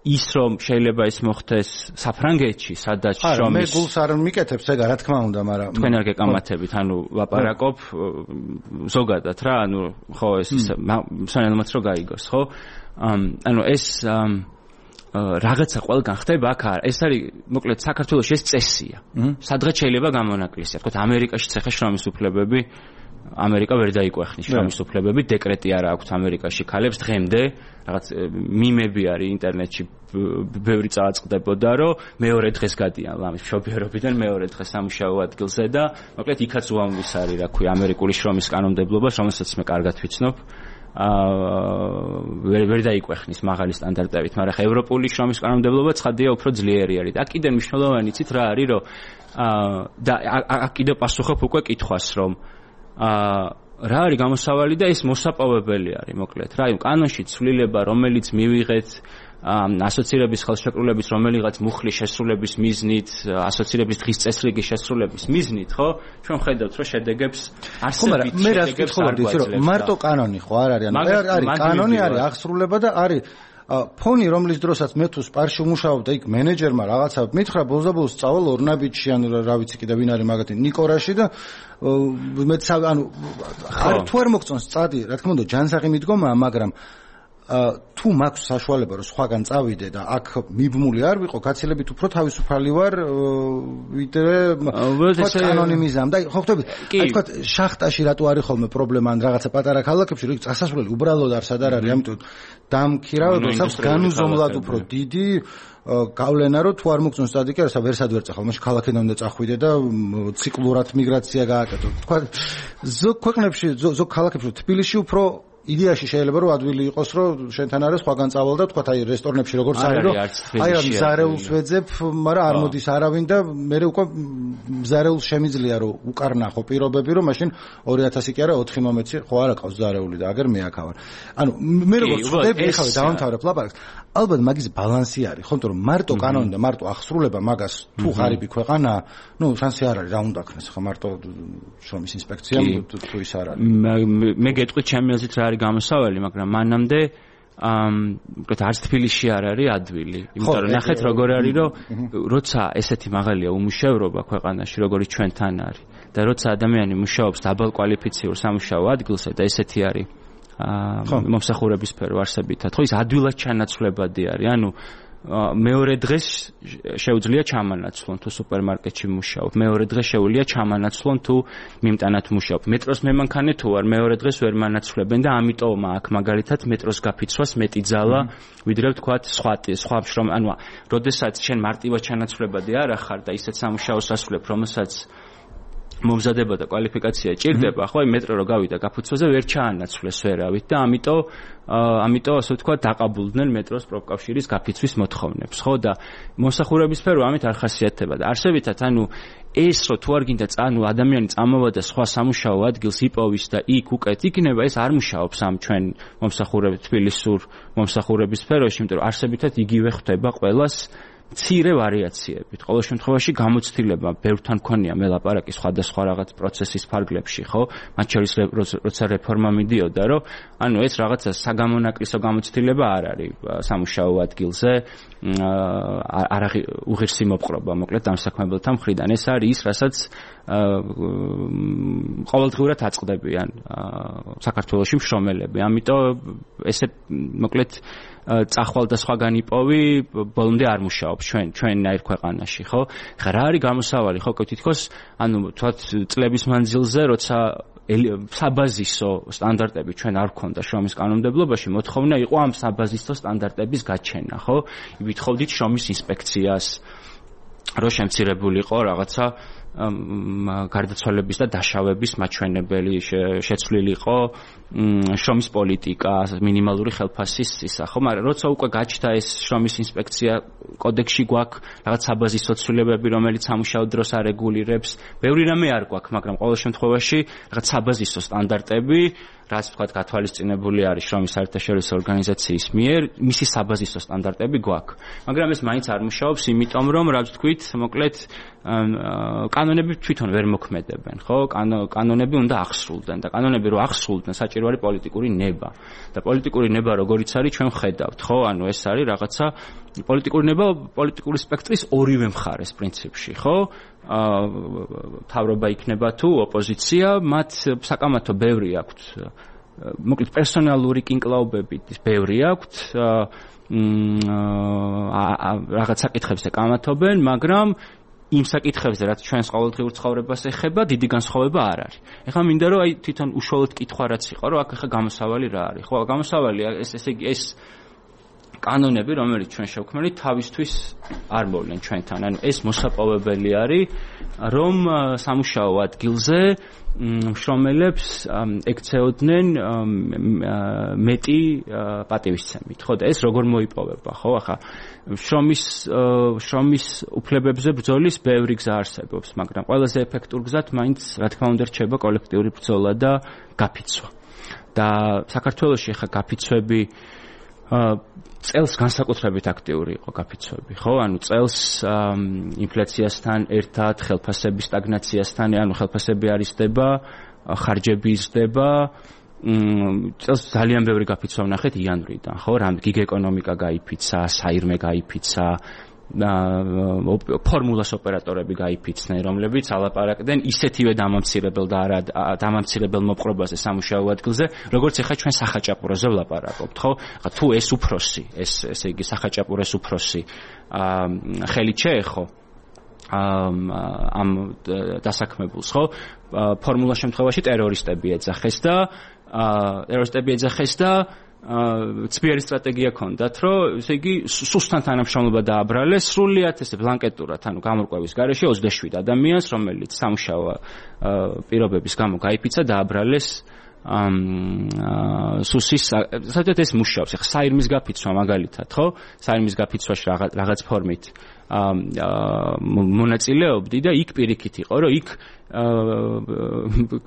ის რომ შეიძლება ის მოხდეს საფრანგეთში სადაც შრომის მე გულს არ მიკეთებს ეგ რა თქმა უნდა მაგრამ თქვენ არ გეკამათებით ანუ ლაპარაკობ ზოგადად რა ანუ ხო ეს სანელმაც რო გაიგოს ხო ანუ ეს რაღაცა ყველგან ხდება აქ ეს არის მოკლედ საქართველოში ეს წესია სადღაც შეიძლება გამონაკლისია თქო ამერიკაშიც ახლა შრომის უფლებები ამერიკა ვერ დაიკვეხნის შრომის უფლებები დეკრეტი არა აქვს ამერიკაში ქალებს დღემდე რაღაც მიმები არის ინტერნეტში ბევრი წააწყდებოდა რომ მეორე დღეს გადიან ლამის მშობიარობიდან მეორე დღეს სამუშაო ადგილზე და მოკლედ იქაც უამბის არის რა ქვია ამერიკული შრომის კანონმდებლობას რომელსაც მე კარგად ვიცნობ ვერ დაიკვეხნის მაღალი სტანდარტებით მაგრამ ხა ევროპული შრომის კანონმდებლობა ცხადია უფრო ძლიერი არის და კიდე მნიშვნელოვანი იცით რა არის რომ და აქ კიდე პასუხობ უკვე კითხვას რომ რა არის გამოსავალი და ეს მოსაპოვებელი არის მოკლედ რა კანონში ცვლილება რომელიც მივიღეთ ასოცირების ხელშეკრულების რომელიღაც მუხლის შესრულების მიზნით ასოცირების დღის წესრიგის შესრულების მიზნით ხო ჩვენ ხედავთ რომ შედეგებს არსებით მე რა ვკითხულობდი რომ მარტო კანონი ხო არ არის არის კანონი არის აღსრულება და არის ფონი რომლის დროსაც მე თუ სპარში ვმუშაობ და იქ მენეჯერმა რაღაცა მითხრა ბოლოს სწავალ ორნაბიჯში ან რა ვიცი კიდე ვინ არის მაგათი ნიკორაში და მეც ანუ თუ არ მოგწონს წადი რა თქმა უნდა ჯანსაღი მიდგომაა მაგრამ თუ მაქვს საშუალება რომ სხვაგან წავიდე და აქ მიბმული არ ვიყო გაცილებით უფრო თავისუფალი ვარ ვიდრე კანონიმიზამ და ხო ხვდებით აი თქვა შახტაში რატო არის ხოლმე პრობლემა ან რაღაცა პატარა ქალაქებში რომ წასასვლელი უბრალოდ არსად არ არის ამიტომ დამქირავებას აქვს განუზომლად უფრო დიდი გავლენა რომ თუ არ მოგწონს წადი კი არა ვერსად ვერ წახვალ მაშინ ქალაქიდან უნდა წახვიდე და ციკლურად მიგრაცია გააკეთო თქვა ზოგ ქვეყნებში ზოგ ქალაქებში თბილისში უფრო იდეაში შეიძლება რომ ადვილი იყოს რომ შენთან არის სხვაგან წავალ და თქვა აი რესტორნებში როგორც არის რომ აი რა მზარეულს ვეძებ მაგრამ არ მოდის არავინ და მე უკვე მზარეულს შემიძლია რომ უკარნახო პირობები რომ მაშინ 2000 კი არა 4 მომეცი ხო არა ყავს მზარეული და აგერ მე აქ ავარ ანუ მე როგორც ვხვდები ეხლა დავამთავრებ ლაპარაკს ალბათ მაგის ბალანსი არის ხო თორემ მარტო კანონი და მარტო აღსრულება მაგას თუ ღარიბი ქვეყანა ნუ შანსი არ არის რა უნდა ქნეს ხო მარტო შრომის ინსპექციამ თუ ის არ არის მე გეტყვით ჩემი აზრით რა არის გამოსავალი მაგრამ მანამდე უკეთ არც თბილისში არ არის ადვილი იმიტომ რომ ნახეთ როგორ არის რომ როცა ესეთი მაღალია უმუშევრობა ქვეყანაში როგორიც ჩვენთან არის და როცა ადამიანი მუშაობს დაბალ კვალიფიციურ სამუშაო ადგილზე და ესეთი არის მომსახურების სფერო არსებითად ხო ის ადვილად ჩანაცვლებადი არის ანუ მეორე დღეს შეუძლია ჩამანაცვლონ თუ სუპერმარკეტში მუშაობ მეორე დღეს შეუძლია ჩამანაცვლონ თუ მიმტანად მუშაობ მეტროს მემანქანე თუ არ მეორე დღეს ვერ მანაცვლებენ და ამიტომ აქ მაგალითად მეტროს გაფიცვას მეტი ძალა ვიდრე ვთქვათ სხვა შრომ ანუ როდესაც შენ მარტივად ჩანაცვლებადი არ ახარ და ისეთ სამუშაოს ასრულებ რომელსაც მომზადება და კვალიფიკაცია ჭირდება, ხო, აი მეტრო რო გავიდა გაფუცვაზე ვერ ჩაანაცვლეს ვერავით და ამიტომ ასე ვთქვათ დაყაბულდნენ მეტროს პროფკავშირის გაფიცვის მოთხოვნებს, ხო და მომსახურების სფერო ამით არ ხასიათდება და არსებითად ანუ ეს რო თუ არ გინდა ანუ ადამიანი წამოვა და სხვა სამუშაო ადგილს იპოვის და იქ უკეთ იქნება ეს არ მუშაობს ამ ჩვენ მომსახურების თბილისურ მომსახურების სფეროში, იმიტომ რომ არსებითად იგივე ხდება ყველას მცირე ვარიაციებით. ყოველ შემთხვევაში გამოცდილება ბევრთან მქონია მე ლაპარაკი სხვადასხვა რაღაც პროცესის ფარგლებში, ხო? მათ შორის როცა რეფორმა მიდიოდა, რომ ანუ ეს რაღაცა საგამონაკლისო გამოცდილება არ არის სამუშაო ადგილზე, არ უღირსი მოპყრობა, მოკლედ დამსაქმებელთა მხრიდან. ეს არის ის, რასაც ყოველდღიურად აწყდებიან საქართველოში მშრომელები. ამიტომ ესე მოკლედ წახვალ და სხვაგან იპოვი, ბოლომდე არ მუშაობს ჩვენნაირ ქვეყანაში, ხო? ხა რა არის გამოსავალი, ხო, თითქოს, ანუ თქვათ წლების მანძილზე, როცა საბაზისო სტანდარტები ჩვენ არ გვქონდა შრომის კანონმდებლობაში, მოთხოვნა იყო ამ საბაზისო სტანდარტების გაჩენა, ხო? ვითხოვდით შრომის ინსპექციას, რომ შემცირებულიყო რაღაცა გარდაცვალების და დაშავების მაჩვენებელი შეცვლილიყო შრომის პოლიტიკა, მინიმალური ხელფასის ისა, ხო, მაგრამ როცა უკვე გაჩნდა ეს შრომის ინსპექცია კოდექსში გვაქვს რაღაც საბაზისო ცვლილებები, რომელიც სამუშაო დროს არეგულირებს, ბევრი რამე არ გვაქვს, მაგრამ ყოველ შემთხვევაში რაღაც საბაზისო სტანდარტები რაც ვთქვათ გათვალისწინებული არის შრომის საერთაშორისო ორგანიზაციის მიერ, მისი საბაზისო სტანდარტები გვაქვს. მაგრამ ეს მაინც არ მუშაობს, იმიტომ რომ რა ვთქვით, მოკლედ კანონები თვითონ ვერ მოქმედებენ, ხო? კანონები უნდა ახსრულდნენ და კანონები რო ახსრულდნენ, საჭირო არის პოლიტიკური ნება. და პოლიტიკური ნება როგორიც არის, ჩვენ ხედავთ, ხო? ანუ ეს არის რაღაცა პოლიტიკური ნება პოლიტიკური სპექტრის ორივე მხარეს პრინციპში, ხო? თავრობა იქნება თუ ოპოზიცია, მათ საკამათო ბევრი აქვთ. მოკლედ პერსონალური კინკლაობები ბევრი აქვთ. რაღაც საკითხებზე კამათობენ, მაგრამ იმ საკითხებზე, რაც ჩვენს ყოველდღიურ ცხოვრებას ეხება, დიდი განსხვავება არ არის. ეხლა მინდა რომ აი თვითონ უშუალოდ კითხვა რაც იყო, რომ აქ ეხლა გამოსავალი რა არის? ხო, გამოსავალი ესე იგი ეს კანონები, რომელიც ჩვენ შევქმნით, თავისთვის არ მოვლენ ჩვენთან. ანუ ეს მოსაპოვებელი არის, რომ სამუშაო ადგილზე მშრომელებს ექცეოდნენ მეტი პატივისცემით. ხო და ეს როგორ მოიპოვება, ხო? ახლა შრომის უფლებებზე ბრძოლის ბევრი გზა არსებობს, მაგრამ ყველაზე ეფექტურ გზად მაინც რა თქმა უნდა რჩება კოლექტიური ბრძოლა და გაფიცვა. და საქართველოში ახლა გაფიცვები წელს განსაკუთრებით აქტიური იყო გაფიცვები, ხო? ანუ წელს ინფლაციასთან ერთად, ხელფასების სტაგნაციასთან, ანუ ხელფასები არ იზრდება, ხარჯები იზრდება, წელს ძალიან ბევრი გაფიცვა ვნახეთ იანვრიდან, ხო? გიგ ეკონომიკა გაიფიცა, საირმე გაიფიცა, ფორმულას ოპერატორები გაიფიცნენ, რომლებიც ალაპარაკდნენ ისეთივე დამამცირებელ და არა დამამცირებელ მოპყრობაზე სამუშაო ადგილზე, როგორც ახლა ჩვენ სახაჭაპუროზე ვლაპარაკობთ, ხო? თუ ეს უფროსი, ესე იგი სახაჭაპუროს უფროსი ხელით შეეხო ამ დასაქმებულს, ხო? ფორმულა შემთხვევაში ტერორისტები ეძახეს და ცბიერი სტრატეგია ქონდათ, რომ ესე იგი სუსტან თანამშრომლობა დააბრალეს, სრულიად ესე ბლანკეტურად, ანუ გამორკვევის გარეშე 27 ადამიანს, რომელიც სამუშაო პირობების გამო გაიფიცა, დააბრალეს სუსის საერთოდ ეს მუშაობს. ახლა საირმის გაფიცვა მაგალითად, ხო? საირმის გაფიცვაში რაღაც ფორმით მონაწილეობდი და იქ პირიქით იყო, რომ იქ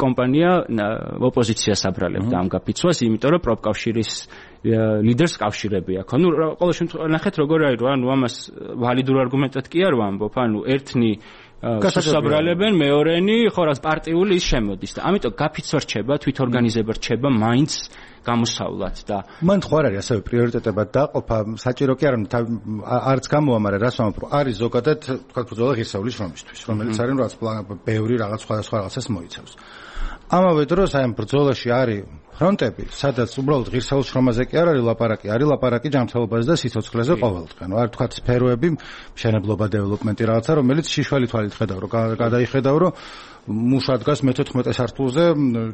კომპანია ოპოზიციას აბრალებდა ამ გაფიცვას, იმიტომ რომ პროფკავშირის ლიდერს კავშირები აქვს. ანუ ყოველ შემთხვევაში ნახეთ როგორ არის, ანუ ამას ვალიდურ არგუმენტად კი არ ვამბობ, ანუ ერთნი გასაბრალებენ, მეორენი ხო რაც პარტიული ის შემოდის და ამიტომ გაფიცვა რჩება, თვითორგანიზება რჩება მაინც გამოსავლად და მან ხო არ არის ასევე პრიორიტეტებად დაყოფა, საჭირო კი არ არც გამოვა, მაგრამ რას ვამბობ, რომ არის ზოგადად თქვა ბრძოლა ღირსეული შრომისთვის, რომელიც არის რაც ბევრი რაღაც სხვადასხვა რაღაცას მოიცავს. ამავე დროს აი ამ ბრძოლაში არის ფრონტები, სადაც უბრალოდ ღირსეულ შრომაზე კი არ არის ლაპარაკი, არის ლაპარაკი ჯანმრთელობაზე და სიცოცხლეზე ყოველდღე. ანუ არ თქვა სფეროები, მშენებლობა, დეველოპმენტი რაღაცა, რომელიც შიშველი თვალით ხედავ, რომ გადაიხედავ, რომ მუშა დგას მე-14 სართულზე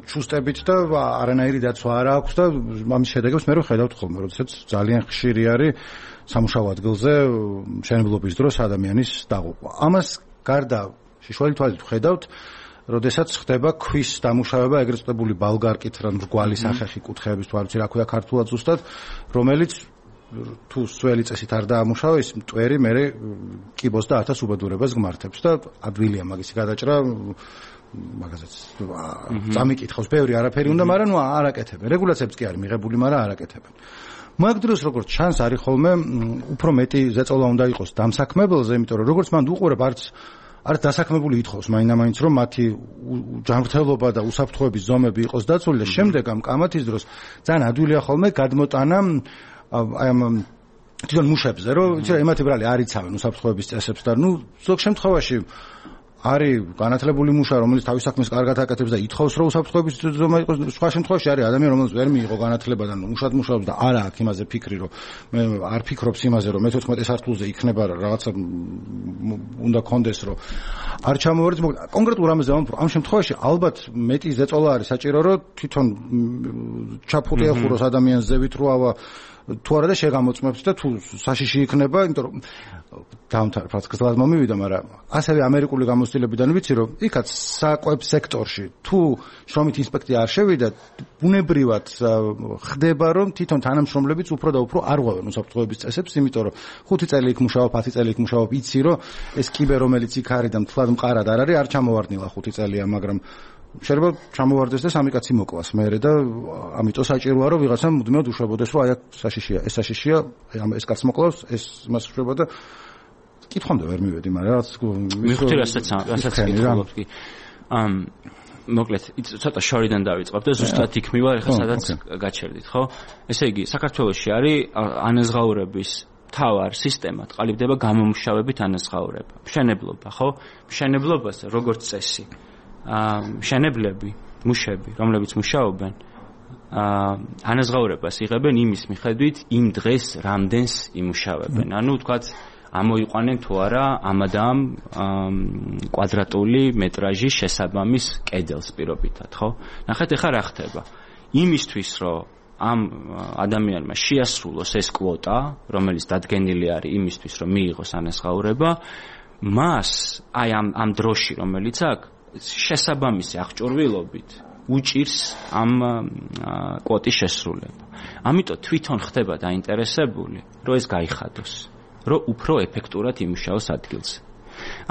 ჩუსტებით და არანაირი დაცვა არ აქვს და ამის შედეგებს მე ვხედავთ ხოლმე, როდესაც ძალიან ხშირი არის სამუშაო ადგილზე მშენებლობის დროს ადამიანის დაღუპვა. ამას გარდა შიშველი თვალით ვხედავთ, როდესაც ხდება ქვის დამუშავება, ეგრეთ წოდებული ბალგარკით, რა მრგვალი სახეხი კუთხეების თუ არ ვიცი რა ქვია ქართულად ზუსტად, რომელიც თუ სველი წესით არ დაამუშავა, ის მტვერი მერე კიბოს და 1000 უბედურებას გმართებს და ადვილია მაგისი გადაჭრა მაგაზეც წამიკითხავს, ბევრი არაფერი უნდა, მაგრამ ნუ არაკეთებენ. რეგულაციებს კი არის მიღებული, მაგრამ არაკეთებენ. მაგ დროს როგორც ჩანს არის ხოლმე უფრო მეტი ზეწოლა უნდა იყოს დამსაქმებელზე, იმიტომ რომ როგორც მან უყურებ არც დასაქმებული ითხოვს მაინდა-მაინც რომ მათი ჯანმრთელობა და უსაფრთხოების ზომები იყოს დაცული და შემდეგ ამ კამათის დროს ძალიან ადვილია ხოლმე გადმოტანა აი ამ თვითონ მუშებზე, რომ იცი რა ემათი ბრალი არ იცავენ უსაფრთხოების წესებს და ნუ ზოგ შემთხვევაში არის განათლებული მუშა, რომელიც თავის საქმეს კარგად აკეთებს და ითხოვს რომ უსაფრთხოების ზომა იყოს, სხვა შემთხვევაში არის ადამიანი, რომელიც ვერ მიიღო განათლება და მუშად მუშაობს და არა აქვს იმაზე ფიქრი, რომ მე არ ფიქრობს იმაზე, რომ მე-14 სართულზე იქნება რაღაცა უნდა კონდეს, რომ არ ჩამოვარდეთ. კონკრეტულ რამეზე ვამბობ, ამ შემთხვევაში ალბათ მეტი ზეწოლა არის საჭირო, რომ თვითონ ჩაფხუტი ახუროს ადამიანს ზევით რო ავა თუ არა და შეგამოწმებს და თუ საშიში იქნება, იმიტომ რომ დაამთავრებ ფასკასად მომივიდა, მაგრამ ასევე ამერიკული გამოცდილებიდან ვიცი, რომ იქაც საკვებ სექტორში თუ შრომით ინსპექცია არ შევიდა, ბუნებრივად ხდება, რომ თვითონ თანამშრომლებიც უფრო და უფრო არ ღვევენ უსაფრთხოების წესებს, იმიტომ რომ 5 წელი იქ მუშაობ, 10 წელი იქ მუშაობ, იცი, რომ ეს კიბე რომელიც იქ არის და მთლად მყარად არ არის, არ ჩამოვარდნილა 5 წელია, მაგრამ შეიძლება ჩამოვარდეს და სამი კაცი მოკლას მერე და ამიტომ საჭიროა რომ ვიღაცამ მუდმივად უშვებოდეს რომ აი საშიშია, ეს საშიშია, ეს კაც მოკლავს, ეს მას შვება და კითხვამდე ვერ მივედი, მაგრამ რაც მიხდი რასაც კითხულობ კი. მოკლედ, ცოტა შორიდან დავიწყებ და ზუსტად იქ მივარ, ეხლა სადაც გაჩერდით, ხო? ესე იგი, საქართველოში არის ანაზღაურების თავარ სისტემად ყალიბდება გამომუშავებით ანაზღაურება. მშენებლობა, ხო? მშენებლობას როგორც წესი მშენებლები, მუშები, რომლებიც მუშაობენ, ანაზღაურებას იღებენ იმის მიხედვით, იმ დღეს რამდენს იმუშავებენ. ანუ ვთქვათ, ამოიყვანენ თუ არა ამადამ კვადრატული მეტრაჟის შესაბამის კედელს პირობითად, ხო? ნახეთ, ეხლა რა ხდება. იმისთვის, რომ ამ ადამიანმა შეასრულოს ეს კვოტა, რომელიც დადგენილი არის იმისთვის, რომ მიიღოს ანაზღაურება, მას აი ამ დროში, რომელიც აქვს შესაბამისი აღჭურვილობით უჭირს ამ კვოტის შესრულება. ამიტომ თვითონ ხდება დაინტერესებული, რომ ეს გაიხადოს, რომ უფრო ეფექტურად იმუშაოს ადგილზე.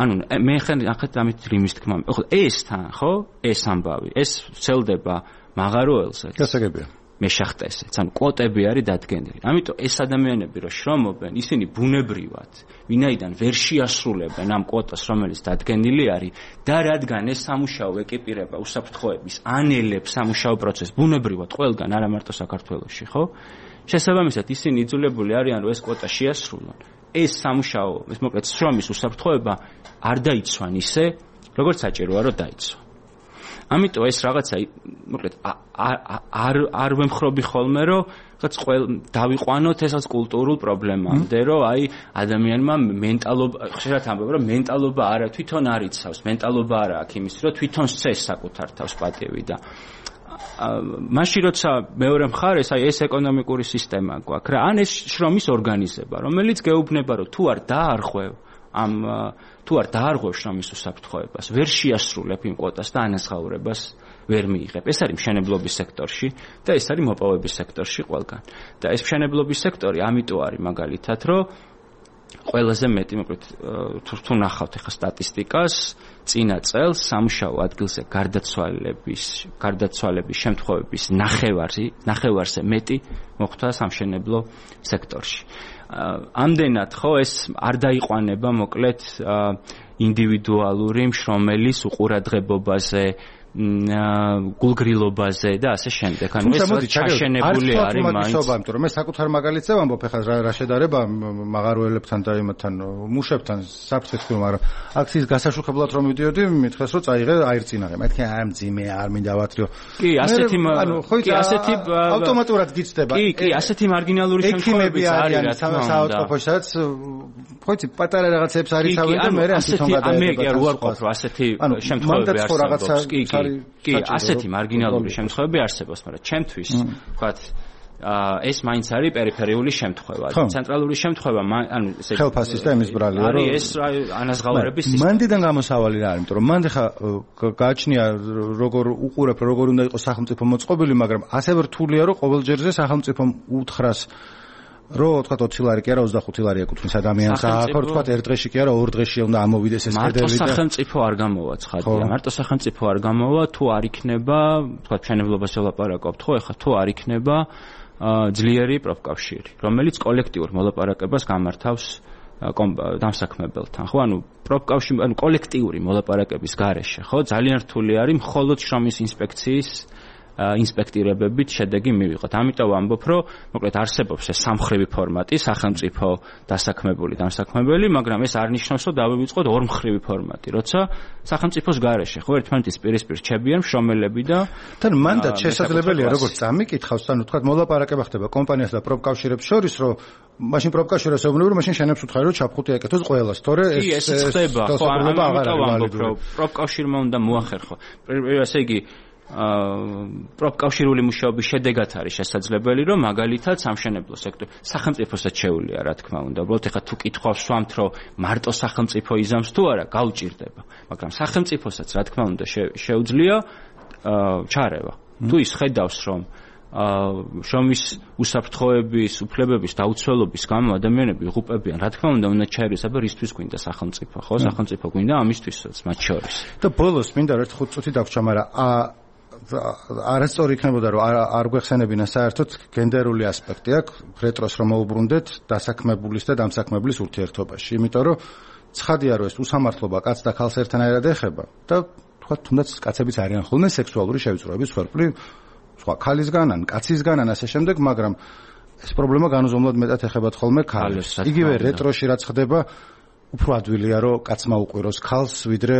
ანუ მე ახლა ამით რიმის თქმა, ხო, ეს თან, ხო, ეს ამბავი, ეს ვრცელდება მაღაროელზე. გასაგებია. მეშახტესეც, ანუ კვოტები არის დადგენილი. ამიტომ ეს ადამიანები რო შრომობენ, ისინი ბუნებრივად, ვინაიდან ვერ შეასრულებენ ამ კვოტას, რომელიც დადგენილი არის და რადგან ეს სამუშაო ეკიპირება უსაფრთხოების ანელებს სამუშაო პროცესს ბუნებრივად ყველგან, არა მარტო საქართველოში, ხო? შესაბამისად, ისინი იძულებული არიან, რომ ეს კვოტა შეასრულონ. ეს სამუშაო, ეს მოკლედ შრომის უსაფრთხოება არ დაიცვან ისე, როგორც საჭიროა, რომ დაიცვან. ამიტომ ეს რაღაცა მოკლედ არ ვემხრობი ხოლმე რომ რაღაც დავიყვანოთ ესაც კულტურულ პრობლემამდე რომ აი ადამიანმა მენტალობა ხშირად ამბობ რომ მენტალობა არა თვითონ არ იცავს მენტალობა არა აქვს იმის რომ თვითონ სცეს საკუთარ თავს პატივი და მაშინ როცა მეორე მხარეს აი ეს ეკონომიკური სისტემა გვაქვს რა ან ეს შრომის ორგანიზება რომელიც გეუბნება რომ თუ არ დაარღვევ თუ არ დაარღვევ შრომის უსაფრთხოებას ვერ შეასრულებ იმ კვოტას და ანაზღაურებას ვერ მიიღებ. ეს არის მშენებლობის სექტორში და ეს არის მოპოვების სექტორში ყველგან. და ეს მშენებლობის სექტორი ამიტომ არის მაგალითად, რომ ყველაზე მეტი, მოკლედ თუ ნახავთ ახლა სტატისტიკას, წინა წელს სამუშაო ადგილზე გარდაცვალების შემთხვევების ნახევარზე მეტი მოხდა სამშენებლო სექტორში. ამდენად ხო ეს არ დაიყვანება მოკლედ ინდივიდუალური მშრომელის უყურადღებობაზე, გულგრილობაზე და ასე შემდეგ. ანუ ეს ჩაშენებული არის მაინც. იმიტომ რომ მე საკუთარ მაგალითზე ვამბობ, ახლა რა შედარება მაღაროელებთან და იმათთან მუშებთან საფრთხეს ქვია, მაგრამ აქციის გასაშუქებლად რომ მიდიოდი, მითხეს რომ წაიღე აირწინაღე. მეთქე აი მძიმე არ მინდა ვათრიო. კი, ასეთი ავტომატურად გიცდება. კი, ასეთი მარგინალური შემთხვევები არის რა თქმა უნდა. საავადმყოფოში სადაც ხოიცი პატარა რაღაცებს არიცავენ და მე თვითონ გადაედება. მე არ ვარყოფ რომ ასეთი შემთხვევები არსებობს. კი, ასეთი მარგინალური შემთხვევები არსებობს, მაგრამ ჩემთვის, ვთქვათ, ეს მაინც არის პერიფერიული შემთხვევა. ცენტრალური შემთხვევა, ანუ ესე ხელფასის და იმის ბრალია, რომ არის ეს ანაზღაურების სისტემა. მანდიდან გამოსავალი რა არის, იმიტომ რომ მანდ ხა გააჩნია როგორ უყურებ, როგორ უნდა იყოს სახელმწიფო მოწყობილი, მაგრამ ასე რთულია, რომ ყოველ ჯერზე სახელმწიფომ უთხრას რო თქვა 20 ლარი კი არა 25 ლარი ეკუთვნის ადამიანს ახლა თქვა ერთ დღეში კი არა ორ დღეში უნდა ამოვიდეს ეს კედელი და მარტო სახელმწიფო არ გამოვა ცხადია მარტო სახელმწიფო არ გამოვა თუ არ იქნება თქვა მშენებლობას ველაპარაკობთ ხო ეხლა თუ არ იქნება ძლიერი პროფკავშირი რომელიც კოლექტიურ მოლაპარაკებას გამართავს დამსაქმებელთან ხო ანუ პროფკავშირი ანუ კოლექტიური მოლაპარაკების გარეშე ხო ძალიან რთული არის მხოლოდ შრომის ინსპექციის ინსპექტირებებით შედეგი მივიღოთ. ამიტომ ვამბობ, რომ მოკლედ არსებობს ეს სამმხრივი ფორმატი, სახელმწიფო დასაქმებული, დამსაქმებელი, მაგრამ ეს არ ნიშნავს, რომ დავივიწყოთ ორმხრივი ფორმატი, როცა სახელმწიფოს გარეშე, ხო, ერთმანეთის პირისპირ რჩებიან მშრომელები და თან მანდაც შესაძლებელია, როგორც წამიკითხავს, ანუ თქვა მოლაპარაკება ხდება კომპანიას და პროფკავშირებს შორის, რომ მაშინ პროფკავშირებს ეუბნები, რომ მაშინ შენებს უთხარი, რომ ჩაფხუტი ეკეთოს ყველას, თორე ეს ხდება, ხო, ამიტომ ვამბობ, რომ პროფკავშირმა უნდა მოახერხო. ესე იგი პროფკავშირული მუშაობის შედეგად არის შესაძლებელი, რომ მაგალითად სამშენებლო სექტორი სახელმწიფოსაც შეუძლია, რა თქმა უნდა. უბრალოდ ეხა თუ კითხვას ვსვამთ, რომ მარტო სახელმწიფო იზამს თუ არა, გაუჭირდება. მაგრამ სახელმწიფოსაც, რა თქმა უნდა, შეუძლია ჩარევა. თუ ის ხედავს, რომ შრომის უსაფრთხოების, უფლებების დაუცველობის გამო ადამიანები იღუპებიან, რა თქმა უნდა ჩაერეს, აბა რისთვის გვინდა სახელმწიფო, ხო? სახელმწიფო გვინდა ამისთვისაც მათ შორის. და ბოლოს მინდა ერთ 5 წუთი დაგვრჩა, მაგრამ არასწორი იქნებოდა რომ არ გვეხსენებინა საერთოდ გენდერული ასპექტი აქვს რეტროს რომ მოუბრუნდეთ დასაქმებულის და დამსაქმებლის ურთიერთობაში იმიტომ რომ ცხადია რომ ეს უსამართლობა კაცს და ქალს ერთანაირად ეხება და თქვა თუნდაც კაცებიც არიან ხოლმე სექსუალური შევიწროების ხერხი სხვა ქალისგან ან კაცისგან ან ასე შემდეგ მაგრამ ეს პრობლემა განუზომლად მეტად ეხება ხოლმე ქალებს იგივე რეტროში რაც ხდება უფრო ადვილია რომ კაცმა უყვიროს ქალს ვიდრე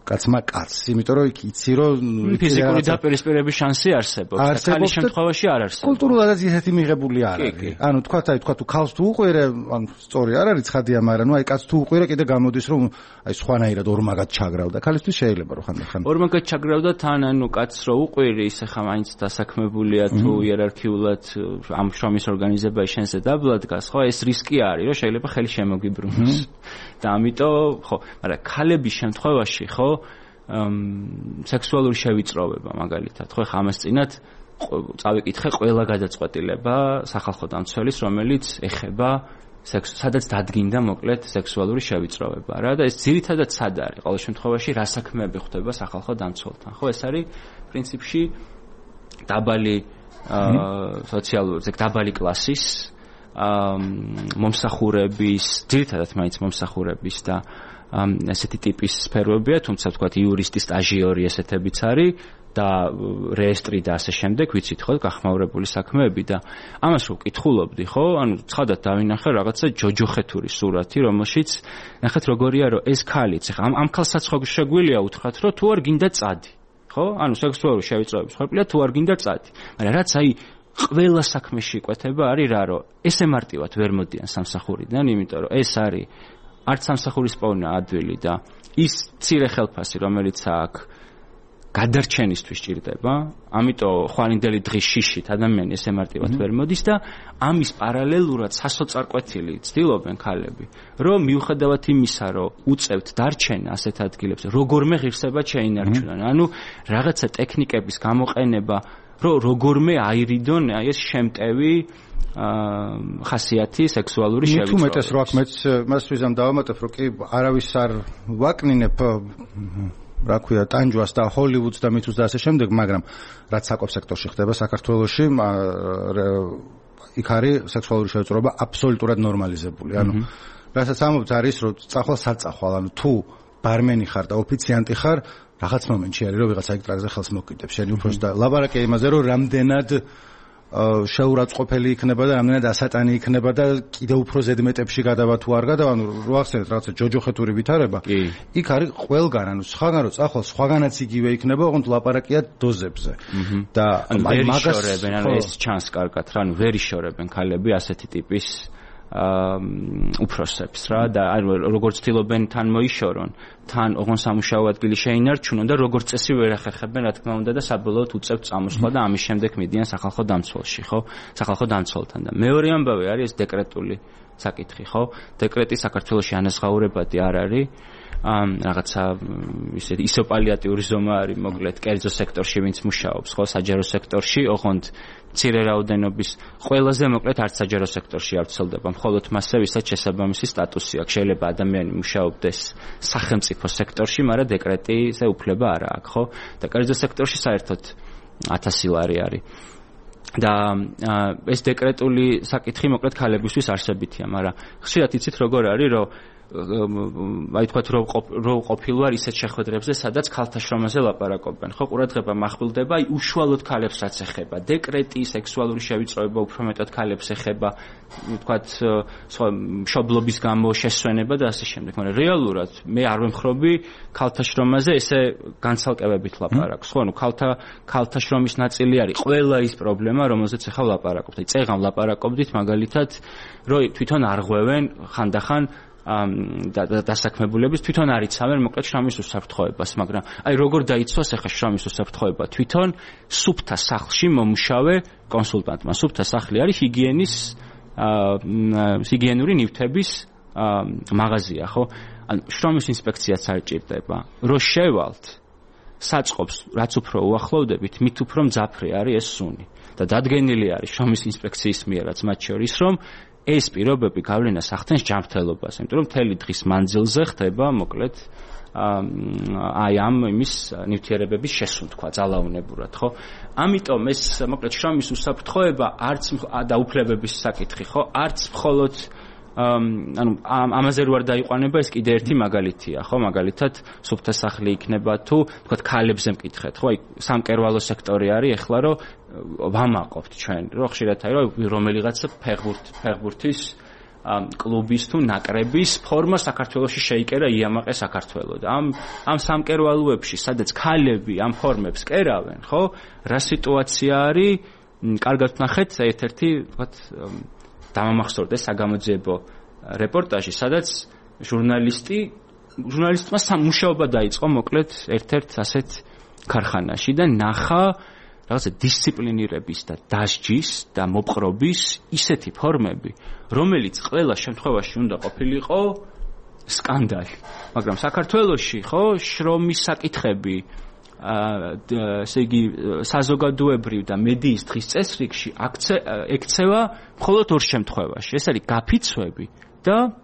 კაცმა კაცს, იმიტომ რომ იქ იცი რომ ფიზიკური დაპირისპირების შანსი არსებობს, ქალის შემთხვევაში არ არსებობს. კულტურულადაც ისეთი მიღებული არ არის. ანუ თქვა თუ ქალს თუ უყვირე, ანუ სწორი არ არის ცხადია, მაგრამ ნუ აი კაცს თუ უყვირე, კიდე გამოდის რომ აი სხვანაირად ორმაგად ჩაგრავდა. ქალისთვის შეიძლება რომ ხანდახან ორმაგად ჩაგრავდა თან, ანუ კაცს რო უყვირი, ისე ხა მაინც დასაქმებულია თუ იერარქიულად ამ შრომის ორგანიზებაში შენზე დაბლადგას, ხო, ეს რისკი არის, რომ შეიძლება ხელი შემოგიბრუნოს. და ამიტომ, ხო, მაგრამ ქალების შემთხვევაში, ხო სექსუალური შევიწროვება მაგალითად ხო ხა ამას წინათ წავიკითხე ყველა გადაწყვეტილება სახალხო დამცველის რომელიც ეხება სადაც დადგინდა მოკლედ სექსუალური შევიწროვება რა და ეს ძირითადად სად არის ყოველ შემთხვევაში რა საქმეები ხდება სახალხო დამცველთან ხო ეს არის პრინციპში დაბალი სოციალური დაბალი კლასის მომსახურების ძირითადად მაინც მომსახურების და ესეთი ტიპის სფეროებია, თუმცა ვთქვათ იურისტი, სტაჟიორი ესეთებიც არის და რეესტრი და ასე შემდეგ, ვიცით ხო, გახმაურებული საქმეები და ამას რო ვკითხულობდი, ხო? ანუ ცხადად დავინახე რაღაცა ჯოჯოხეთური სურათი, რომელშიც ნახეთ როგორია, რომ ეს ქალიც, ხა ამ ქალსაც ხო შეგვიძლია უთხრათ, რომ თუ არ გინდა წადი, ხო? ანუ სექსუალური შევიწროების ხერხია თუ არ გინდა წადი. მაგრამ რაც აი ყველა საქმეში იკვეთება არის რა, რომ ესე მარტივად ვერ მოდიან სამსახურიდან, იმიტომ რომ ეს არის არც სამსახურის პოვნა ადვილი და ის მცირე ხელფასი რომელიც აქვს გადარჩენისთვის ჭირდება, ამიტომ ხვალინდელი დღის შიშით ადამიანი ესე მარტივად ვერ მოდის და ამის პარალელურად სასოწარკვეთილი ცდილობენ ქალები, რომ მიუხედავად იმისა, რომ უწევთ დარჩენა ასეთ ადგილებზე, როგორმე ღირსება შეინარჩუნონ. ანუ რაღაცა ტექნიკების გამოყენება, რომ როგორმე აირიდონ ეს შემტევი ხასიათი სექსუალური შევიწროება. თუ მეტეს რო აქ მეც მას ვიზამ დავამატებ, რომ კი არავის არ ვაკნინებ რა ქვია ტანჯვას და ჰოლივუდს და მითუს და ასე შემდეგ, მაგრამ რაც საკოფ სექტორში ხდება საქართველოში, იქ არის სექსუალური შევიწროება აბსოლუტურად ნორმალიზებული. ანუ რასაც ამობთ არის, რომ წახვალ საწახვალ, ანუ თუ ბარმენი ხარ და ოფიციანტი ხარ, რაღაც მომენტში არის, რომ ვიღაცა იქ ტრაქზე ხელს მოკიდებს. შენ უფრო და ლაბარაკია იმაზე, რომ რამდენად შეურაცხყოფელი იქნება და რამდენად ასატანი იქნება და კიდევ უფრო ზედმეტებში გადავა თუ არ გადავა, ანუ რო ახსენეთ რაღაცა ჯოჯოხეთური ვითარება, იქ არის ყველგან, ანუ სხვაგან რო წახვალ, სხვაგანაც იგივე იქნება, ოღონდ ლაპარაკია დოზებზე. და მაგას ანუ ეს ჩანს კარგად რა, ანუ ვერ იშორებენ ქალები ასეთი ტიპის უფროსებს რა და როგორც ცდილობენ თან მოიშორონ, თან ოღონ სამუშაო ადგილი შეინარჩუნონ და როგორც წესი ვერ ახერხებენ რა თქმა უნდა და საბოლოოდ უწევთ წამოსვლა და ამის შემდეგ მიდიან სახალხო დამცველში, ხო? სახალხო დამცველთან და მეორე ამბავი არის ეს დეკრეტული საკითხი, ხო? დეკრეტი საქართველოში ანაზღაურებადი არ არის. რაღაცა ისეთი ისოპალიატიური ზომა არის მოკლედ კერძო სექტორში ვინც მუშაობს, ხო, საჯარო სექტორში, ოღონდ მცირე რაოდენობის ყველაზე მოკლედ არც საჯარო სექტორში არ ვრცელდება, მხოლოდ მასზე ვისაც შესაბამისი სტატუსი აქვს. შეიძლება ადამიანი მუშაობდეს სახელმწიფო სექტორში, მაგრამ დეკრეტიზე უფლება არ აქვს, ხო? და კერძო სექტორში საერთოდ 1000 ლარი არის. და ეს დეკრეტული საკითხი მოკლედ ქალებისთვის არსებითია, მაგრამ ხშირად იცით როგორ არის, რომ აი თქვათ რო ყოფილვარ ისეთ შეხვედრებზე, სადაც ქალთა შრომაზე ლაპარაკობენ. ხო, ყურადღება מחვილდება აი უშუალოდ ქალებს რაც ეხება. დეკრეტი, სექსუალური შევიწროება უფრო მეტად ქალებს ეხება, თქვათ სხვა მშობლობის გამო შესვენება და ასე შემდეგ. მაგრამ რეალურად მე არ ვემხრობი ქალთა შრომაზე ესე განცალკევებით ლაპარაკს. ხო, ანუ ქალთა შრომის ნაწილი არის ყველა ის პრობლემა, რომელზეც ახლა ლაპარაკობთ. აი წეღან ლაპარაკობდით მაგალითად, რომ თვითონ არ ღვევენ ხანდახან დასაქმებულების თვითონ არ იცავენ მოკლედ შრომის უსაფრთხოებას, მაგრამ აი როგორ დაიცვას ახლა შრომის უსაფრთხოება თვითონ სუფთა სახლში მომუშავე კონსულტანტმა. სუფთა სახლი არის ჰიგიენური ნივთების მაღაზია, ხო? ანუ შრომის ინსპექციაც არ ჭირდება. რო შევალთ საწყობს, რაც უფრო უახლოვდებით, მით უფრო მძაფრი არის ეს სუნი. და დადგენილი არის შრომის ინსპექციის მიერაც მათ შორის, რომ ეს პირობები გავლენას ახდენს ჯანმრთელობას, იმიტომ რომ მთელი დღის მანძილზე ხდება მოკლედ აი ამ იმის ნივთიერებების შესუნთქვა ძალაუნებურად, ხო? ამიტომ ეს მოკლედ შრომის უსაფრთხოება არც და უფლებების საკითხი, ხო? არც მხოლოდ ანუ ამაზე რო არ დაიყვანება ეს კიდე ერთი მაგალითია, ხო? მაგალითად სუფთა სახლი იქნება თუ თქვათ ქალებზე მკითხეთ, ხო? აი სამკერვალო სექტორი არის ეხლა რომ ვამაყობთ ჩვენ, რომ ხშირად აი რომ რომელიღაცა ფეხბურთის კლუბის თუ ნაკრების ფორმა საქართველოში შეიკერა იამაყე საქართველო და ამ სამკერვალოებში სადაც ქალები ამ ფორმებს კერავენ, ხო? რა სიტუაცია არის? კარგად ვნახეთ ერთ-ერთი თქვათ დამამახსოვრდა საგამოძიებო რეპორტაჟი, სადაც ჟურნალისტმა მუშაობა დაიწყო მოკლედ ერთ-ერთ ასეთ ქარხანაში და ნახა რაღაცა დისციპლინირების და დასჯის და მოპყრობის ისეთი ფორმები, რომელიც ყველა შემთხვევაში უნდა ყოფილიყო სკანდალი. მაგრამ საქართველოში, ხო, შრომის საკითხები ესე იგი საზოგადოებრივ და მედიის დღის წესრიგში ექცევა მხოლოდ ორ შემთხვევაში. ეს არის გაფიცვები და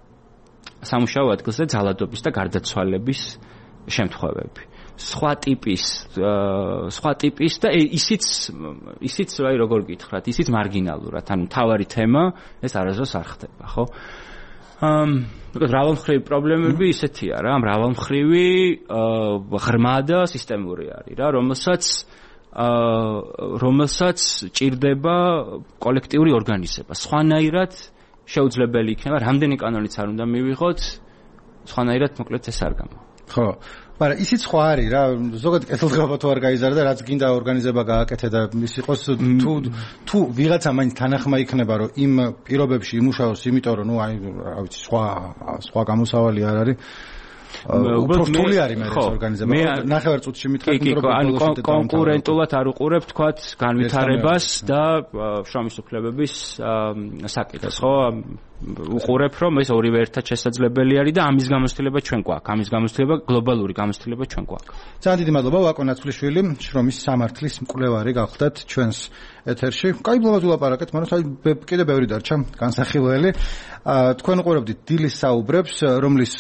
სამუშაო ადგილზე ძალადობის და გარდაცვალების შემთხვევები. სხვა ტიპის და ისიც აი როგორ გითხრათ, ისიც მარგინალურად, ანუ თავარი თემა ეს არასდროს არ ხდება, ხო? მრავალმხრივი პრობლემები ისეთია რა, მრავალმხრივი ღრმა და სისტემური არის რა, რომელსაც ჭირდება კოლექტიური ორგანიზება. სხვანაირად შეუძლებელი იქნება, რამდენი კანონიც არ უნდა მივიღოთ, სხვანაირად მოკლედ ეს არ გამა. ხო, მაგრამ ისიც სხვა არის რა, ზოგადად კეთილდღეობა თუ არ გაიზარდა, რაც გინდა ორგანიზება გააკეთე და ის იყოს თუ ვიღაცა მაინც თანახმა იქნება, რომ იმ პირობებში იმუშაოს, იმიტომ რომ ნუ აი რა ვიცი, სხვა გამოსავალი არ არის. უბრალოდ რთული არის მე ეს ორგანიზება. ნახევარ წუთში მითხარით რომ კონკურენტულად არ უყურებ თქვათ განვითარებას და შრომის უფლებების საკითხს, ხო? უყურებ რომ ეს ორივე ერთად შესაძლებელი არის და ამის გამოცდილება ჩვენ გვაქვს. ამის გამოცდილება გლობალური გამოცდილება ჩვენ გვაქვს. ძალიან დიდი მადლობა ვაკო ნაცვლიშვილი, შრომის სამართლის მკვლევარი გახდათ ჩვენს ეთერში. კაი ბლოგად ვილაპარაკეთ, მაგრამ კიდე ბევრი დარჩა განსახილველი. თქვენ უყურებდით დილის საუბრებს, რომლის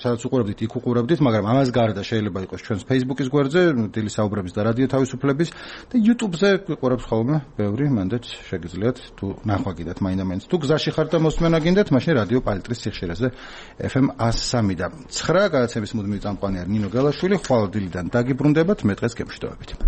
სადაც უყურებდით, იქ უყურებდით, მაგრამ ამას გარდა შეიძლება იყოს ჩვენს Facebook-ის გვერდზე, დილის საუბრების და რადიო თავისუფლების და YouTube-ზე გვიყურებს ხოლმე ბევრი, მანდაც შეგიძლიათ თუ ნახვა გინდათ მაინდა-მაინც. თუ გზაში ხართ და მოსმენა გინდათ, მაშინ რადიო პალიტრის სიხშირეზე FM 103 და 9 გადაცემის მუდმივი წამყვანი არის ნინო გელაშვილი, ხვალ დილიდან დაგიბრუნდებათ, მე დღეს გემშვიდობებით.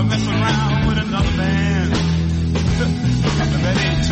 Messing around with another man. That ain't